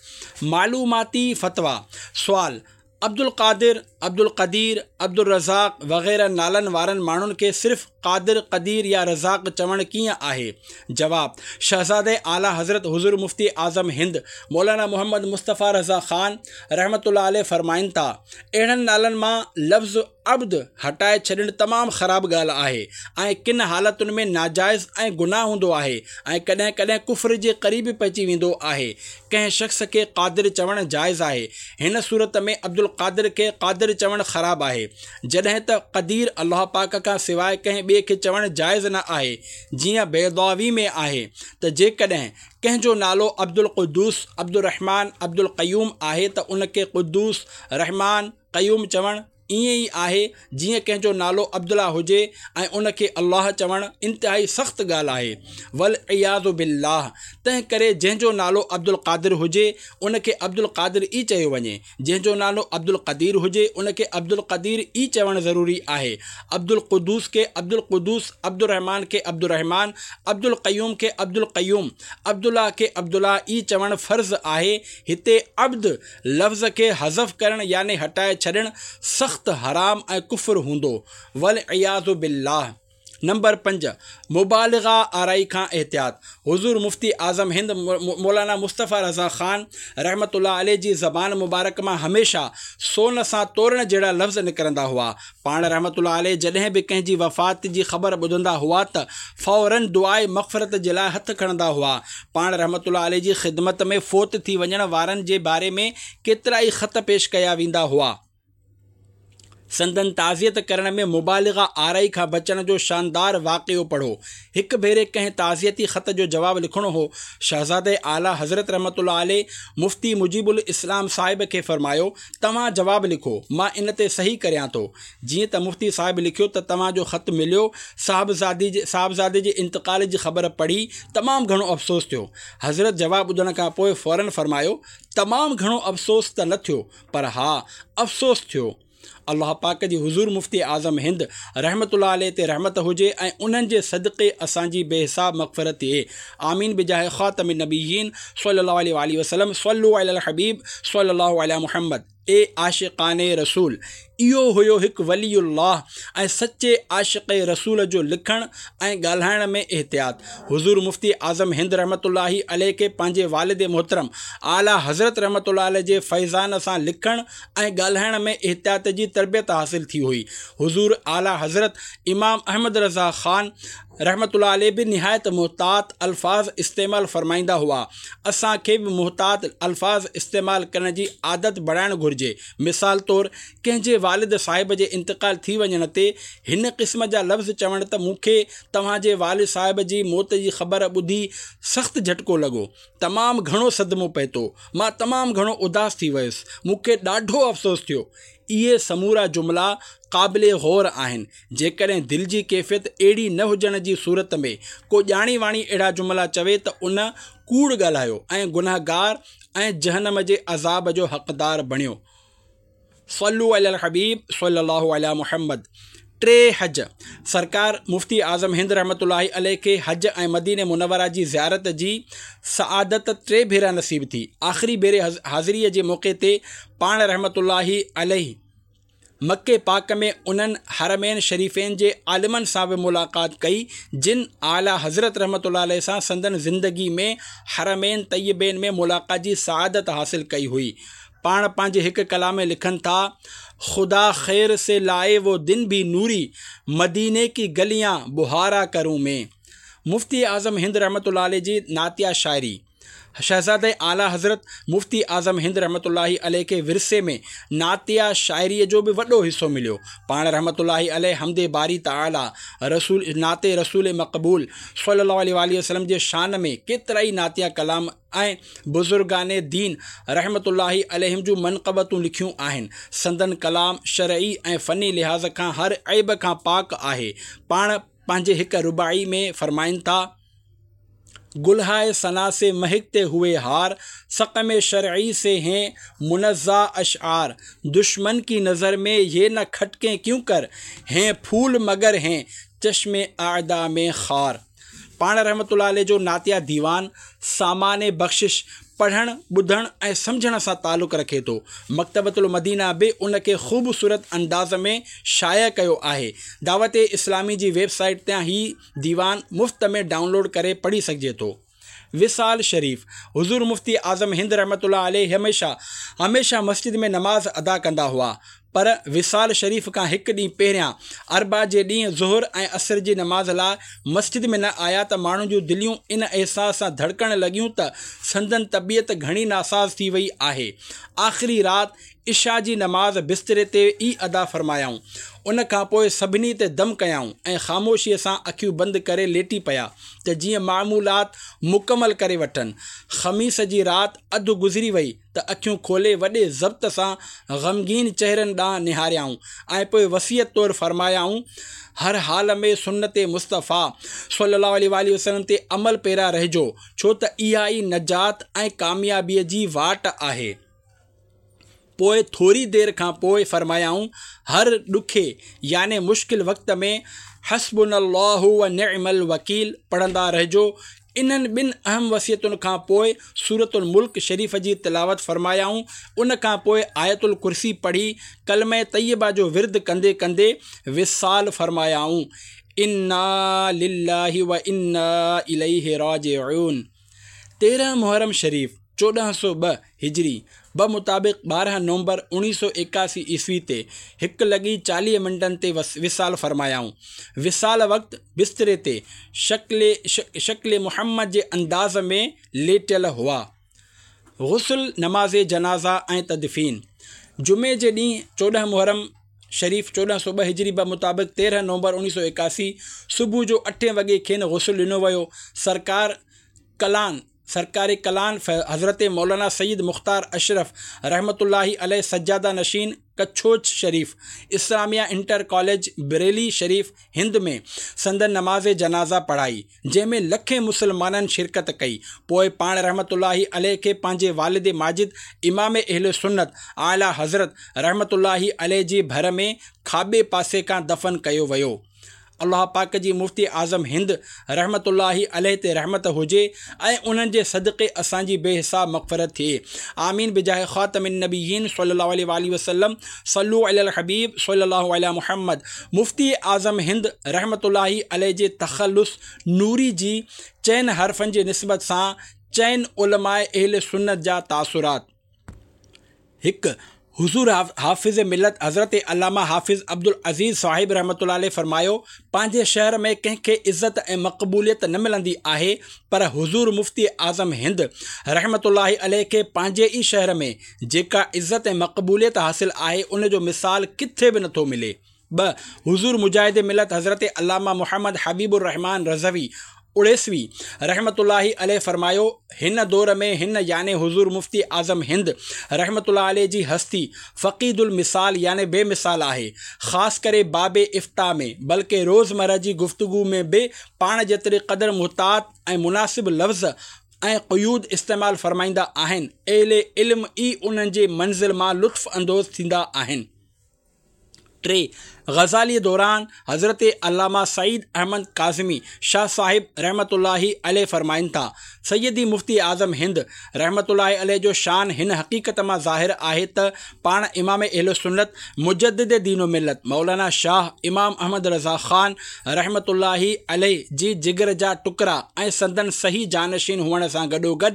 معلوماتي فتويٰ. سوال: عبدالقادر، عبدالقدير، عبدالرزاق وغيره نالن وارن ماڻهن کي صرف قادر، قدير يا رزاق چوڻ ڪيئن آهي؟ جواب: شهزاده اعليٰ حضرت حضور مفتي اعظم هند مولانا محمد مصطفيٰ رضا خان رحمة الله عليه فرمائن ٿا، اهڙن نالن مان لفظ عبد هٽائي ڇڏڻ تمام خراب ڳالهه آهي ۽ ڪن حالتن ۾ ناجائز ۽ گناهه هوندو آهي ۽ ڪڏهن ڪڏهن ڪفر جي قريب پهچي ويندو آهي. ڪنهن شخص کي قادر چوڻ جائز آهي. هن صورت ۾ عبدالقادر کي قادر چوڻ خراب آهي، جڏهن ته قدير الله پاڪ کان سواء ڪنهن ٻئي کي چوڻ جائز نه آهي، جيئن بيضاوي ۾ آهي ته جيڪڏهن ڪنهن جو نالو عبدالقدوس، عبدالرحمان، عبدالقيوم آهي ته ان کي قدوس، رحمان، قيوم چوڻ ائين ئي آهي جيئن ڪنهن جو نالو عبدالله هجي ۽ ان کي الله چوڻ انتهائي سخت ڳالهه آهي، والعياذ بالله. تنهن ڪري جنهن جو نالو عبدالقادر هجي ان کي عبدالقادر ئي چيو وڃي، جنهن جو نالو عبدالقدير هجي ان کي عبدالقدير ئي چوڻ ضروري آهي. عبدالقدوس کي عبدالقدوس، عبدالرحمان کي عبدالرحمان، عبدالقيوم کي عبدالقيوم، عبدالله کي عبدالله ئي چوڻ فرض آهي. هتي عبد لفظ کي حذف ڪرڻ يعني هٽائي ڇڏڻ سخت حرام ۽ ڪفر هوندو، والعياذ بالله. نمبر پنج، مبالغه آرائي کان احتياط. حضور مفتي اعظم هند مولانا مصطفيٰ رضا خان رحمة الله عليه جي زبان مبارڪ مان هميشه سون سان تورڻ جهڙا لفظ نڪرندا هئا. پاڻ رحمة الله عليه جڏهن به ڪنهن جي وفات جي خبر ٻڌندا هئا ته فوراً دعاء مغفرت جي لاء هٿ کڻندا هئا. پاڻ رحمة الله عليه جي خدمت ۾ فوت ٿي وڃڻ وارن جي باري ۾ ڪيترائي خط پيش ڪيا ويندا هئا. سندن تعزيت ڪرڻ ۾ مبالغه آرائي کان بچڻ جو شاندار واقعو پڙهو. هڪ ڀيري ڪنهن تعزيتي خط جو جواب لکڻو هو. شهزاده اعليٰ حضرت رحمة الله عليه مفتي مجيب الاسلام صاحب کي فرمايو، توهان جواب لکو، مان ان تي صحيح ڪريان ٿو. جيئن ته مفتي صاحب لکيو ته توهان جو خط مليو، صاحبزادي جي صاحبزادي جي انتقال جي خبر پڙهي تمام گهڻو افسوس ٿيو. حضرت جواب ٻڌڻ کان پوء فوراً فرمايو، تمام گهڻو افسوس ته نه ٿيو، پر ها افسوس ٿيو. الله پاڪ جي حضور مفتي اعظم هند رحمة الله عليه تي رحمت هجي ۽ انهن جي صدقي اسان جي بي حساب مغفرت ٿئي. آمين بجاه خاتم النبيين صلي الله عليه واله وسلم. صلو علي الحبيب صلي الله علي محمد. اي عاشقان رسول، اهو هيو هڪ ولي الله ۽ سچي عاشق رسول جو لکڻ ۽ ڳالهائڻ ۾ احتياط. حضور مفتي اعظم هند رحمة الله عليه کي پنهنجي والد محترم اعليٰ حضرت رحمة الله عليه جي فيضان سان لکڻ ۽ ڳالهائڻ ۾ احتياط جي تربيت حاصل ٿي هئي. حضور اعليٰ حضرت امام احمد رضا خان رحمة الله عليه به نهايت محتاط الفاظ استعمال فرمائيندا هئا. اسان کي به محتاط الفاظ استعمال ڪرڻ جي عادت بڻائڻ گهرجي. مثال طور ڪنهن جي والد صاحب جي انتقال ٿي وڃڻ تي هن قسم جا لفظ چوڻ ته مون کي توهان جي والد صاحب جي موت جي خبر ٻڌي سخت جهٽڪو لڳو، تمام گهڻو صدمو پهتو، مان تمام گهڻو اداس ٿي ويس، مون کي ڏاڍو افسوس ٿيو. اهي سمورا جملا قابل غور آهن. جيڪڏهن دل جي ڪيفيت اهڙي نه هجڻ جي صورت ۾ ڪو ڄاڻي واڻي اهڙا جملا چوي ته ان ڪوڙ ڳالهايو ۽ گنهگار ۽ جهنم جي عذاب جو حقدار بڻيو. صلو علی الحبيب صلي الله علي محمد. ٽي حج. سرڪار مفتي اعظم هند رحمة الله عليه کي حج ۽ مديني منوره جي زيارت جي سعادت ٽي ڀيرا نصيب ٿي. آخري ڀيري حاضريء جي موقعي تي پاڻ رحمة الله عليه مڪي پاڪ ۾ انهن حرمين شريفين جي عالمن سان به ملاقات ڪئي، جن اعليٰ حضرت رحمة الله عليه سان سندن زندگي ۾ حرمين طيبين ۾ ملاقات جي سعادت حاصل ڪئي هئي. پاڻ پنهنجي هڪ ڪلام ۾ لکن ٿا، خدا خير سي لائي وہ دن ڀي نوري، مديني ڪي گليان بهارا ڪرون مين. مفتي اعظم هند رحمة الله عليه جي نعتيه شاعري. شهزاده اعليٰ حضرت مفتي اعظم هند رحمة الله عليه کي ورثي ۾ نعتيه شاعريء جو به وڏو حصو مليو. پاڻ رحمة الله عليه حمد باري تعاليٰ، رسول نعت رسول مقبول صلي الله عليه واٰله وسلم جي شان ۾ ڪيترائي نعتيه ڪلام ۽ بزرگان دين رحمة الله عليهم جون منقبتون لکيون آهن. سندن ڪلام شرعي ۽ فني لحاظ کان هر عيب کان پاڪ آهي. پاڻ پنهنجي هڪ رباعي ۾ فرمائن ٿا. گلهائي ثنا سي مهڪتي هوئي هار، سقم شرعي سي هين منزا اشعار، دشمن ڪي نظر ۾ يه نه کٽڪين ڪيون ڪر، هين ڦول مگر هين چشم اعدا ۾ خار. پاڻ رحمة الله عليه جو نعتيه ديوان سامان بخشش پڙهڻ، ٻڌڻ ۽ سمجهڻ سان تعلق رکي ٿو. مڪتبة المدينه به ان کي خوبصورت انداز ۾ شايع ڪيو آهي. دعوت اسلامي جي ويب سائيٽ تان هي ديوان مفت ۾ ڊائونلوڊ ڪري پڙهي سگهجي ٿو. وصال شريف، حضور مفتي اعظم هند رحمة الله عليه هميشه هميشه مسجد ۾ نماز ادا ڪندا هئا، پر وصال شريف کان هڪ ڏينهن پهريان اربع جي ڏينهن ظهر ۽ عصر جي نماز لاء مسجد ۾ نه آيا ته ماڻهن جون دليون ان احساس سان ڌڙڪڻ لڳيون ته سندن طبيعت گهڻي ناساز ٿي وئي آهي. آخري رات عشاء جي نماز بستري تي ئي ادا فرمايائون. ان کان پوء سڀني تي دم ڪيائون ۽ خاموشيء سان اکيون بند ڪري ليٽي پيا ته جيئن معمولات مڪمل ڪري وٺن. خميس جي رات اڌ گذري وئي ته اکيون کولي وڏي ضبط سان غمگين چهرن ڏانهن نهاريائون ۽ پوء وصيت طور فرمايائون، هر حال ۾ سنت مصطفيٰ صلي الله عليه واٰله وسلم تي عمل پيرا رهجو، ڇو ته اها ئي نجات ۽ ڪاميابيء جي واٽ آهي. پوء ٿوري دير کان پوء فرمايائون، هر ڏکي يعني مشڪل وقت ۾ حسبنا الله و نعم الوڪيل پڙهندا رهجو. انهن ٻن اهم وصيتن کان پوء سورة الملڪ شريف جي تلاوت فرمايائون. ان کان پوء آيت الڪرسي پڙهي ڪلمه طيبه جو ورد ڪندي ڪندي وصال فرمايائون، انا لله و انا اليه راجعون. تيرهن محرم شريف چوڏهن سؤ ٻه هجري بمطابق ٻارهن نومبر اوڻيهه سؤ ايڪاسي عيسوي تي هڪ لڳي چاليهه منٽن تي وصال فرمايائون. وصال وقت بستري تي شڪل شڪل محمد جي انداز ۾ ليٽيل هئا. غسل، نماز جنازه ۽ تدفين جمعي جي ڏينهن چوڏهن محرم شريف چوڏهن سؤ ٻه هجري بمطابق تيرهن نومبر اوڻيهه سؤ ايڪاسي صبح جو اٺين وڳي کين غسل ڏنو ويو. سرڪار ڪلان سرڪار ڪلان حضرت مولانا سيد مختار اشرف رحمة الله عليه سجاده نشين ڪڇوچ شريف اسلاميه انٽر ڪاليج بريلي شريف هند ۾ سندن نماز جنازه پڙهائي، جنهن ۾ لکين مسلمانن شرڪت ڪئي. پوء پاڻ رحمة الله عليه کي پنهنجي والد ماجد امام اهل سنت اعليٰ حضرت رحمة الله عليه جي ڀر ۾ کاٻي پاسي کان دفن ڪيو ويو. الله پاڪ جي مفتي اعظم هند رحمة الله عليه تي رحمت هجي ۽ انهن جي صدقي اسان جي بي حساب مغفرت ٿئي آمين بجاه خاتم النبيين صلي الله عليه واٰله وسلم صلو علي الحبيب صلي الله علي محمد مفتي اعظم هند رحمة الله عليه جي تخلص نوري جي چئن حرفن جي نسبت سان چئن علماء اهل سنت جا تاثرات. هڪ، حضور حافظ ملت حضرت علامه حافظ عبدالعزيز صاحب رحمة الله عليه فرمايو، پنهنجي شهر ۾ ڪنهن کي عزت ۽ مقبوليت نه ملندي آهي، پر حضور مفتي اعظم هند رحمة الله عليه کي پنهنجي ئي شهر ۾ جيڪا عزت ۽ مقبوليت حاصل آهي، ان جو مثال ڪٿي به نٿو ملي. ٻه، حضور مجاهد ملت حضرت علامه محمد حبيب الرحمان رضوي اڙيسوي رحمة الله عليه فرمايو، هن دور ۾ هن يعني حضور مفتي اعظم هند رحمة الله عليه جي هستي فقيد المثال يعني بي مثال آهي، خاص ڪري باب افتاء ۾ بلڪه روزمره جي گفتگو ۾ به پاڻ جيتري قدر محتاط ۽ مناسب لفظ ۽ قيود استعمال فرمائيندا آهن، اهل علم ئي انهن جي منزل مان لطف اندوز ٿيندا آهن. ٽي، غزاليء دوران حضرت علامه سعيد احمد ڪاظمي شاهه صاحب رحمة الله عليه فرمائن ٿا، سيدي مفتي اعظم هند رحمة الله عليه جو شان هن حقيقت مان ظاهر آهي ته پاڻ امام اهل سنت مجدد دين و ملت مولانا شاهه امام احمد رضا خان رحمة الله عليه جي جگر جا ٽڪرا ۽ سندن صحيح جانشين هئڻ سان گڏوگڏ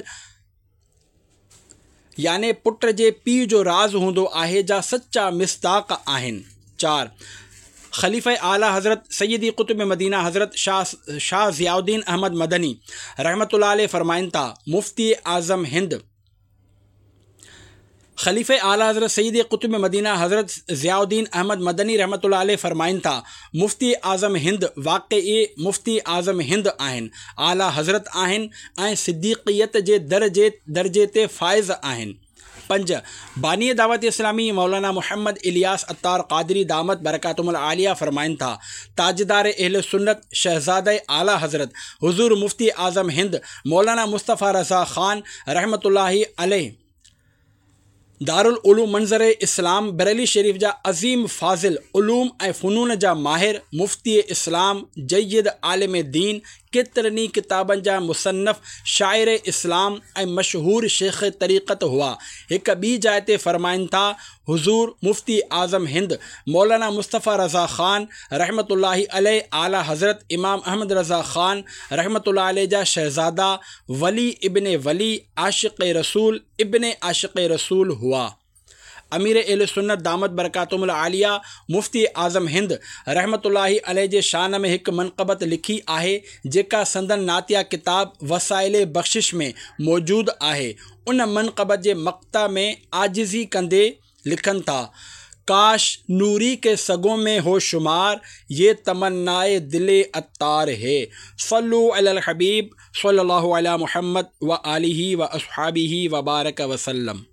يعني پٽ جي پيء جو راز هوندو آهي جا سچا مصداق آهن. چار. خليفه اعليٰ حضرت سيدي قطب مدينه حضرت شاهه شاهه ضياء الدين احمد مدني رحمة الله عليه فرمائن ٿا، مفتي اعظم هند، خليفه اعليٰ حضرت سيدي قطب مدينه حضرت ضياء الدين احمد مدني رحمة الله عليه فرمائن ٿا، مفتي اعظم هند واقعي مفتي اعظم هند آهن، اعليٰ حضرت آهن ۽ صديقيت جي درجي درجي تي فائز آهن. پنج، باني دعوت اسلامي مولانا محمد الياس عطار قادري دامت برڪاتهم العاليه فرمائن ٿا، تاجدار اهل سنت شهزاده اعليٰ حضرت حضور مفتي اعظم هند مولانا مصطفيٰ رضا خان رحمة الله عليه دارالعلوم منظر اسلام بريلي شريف جا عظيم فاضل، علوم ۽ فنون جا ماهر، مفتي اسلام، جيد عالم دين، ڪيترن ئي ڪتابن جا مصنف، شاعر اسلام ۽ مشهور شيخ طريقت هئا. هڪ ٻي جاء تي فرمائن ٿا، حضور مفتي اعظم هند مولانا مصطفيٰ رضا خان رحمة الله عليه اعليٰ حضرت امام احمد رضا خان رحمة الله عليه جا شهزادا، ولي ابن ولي، عاشق رسول ابن عاشق رسول هئا. امير اهل سنت دامت برڪاتهم العاليه مفتي اعظم هند رحمة الله عليه جي شان ۾ هڪ منقبت لکي آهي، جيڪا سندن نعتيه ڪتاب وسائل بخشش ۾ موجود آهي. ان منقبت جي مقطع ۾ عاجزي ڪندي لکن ٿا، ڪاش نوري ڪي سگون ۾ هو شمار، يه تمناء دل عطار هي. صلو علي الحبيب صلي الله علي محمد وآله واصحابه وبارڪ وسلم.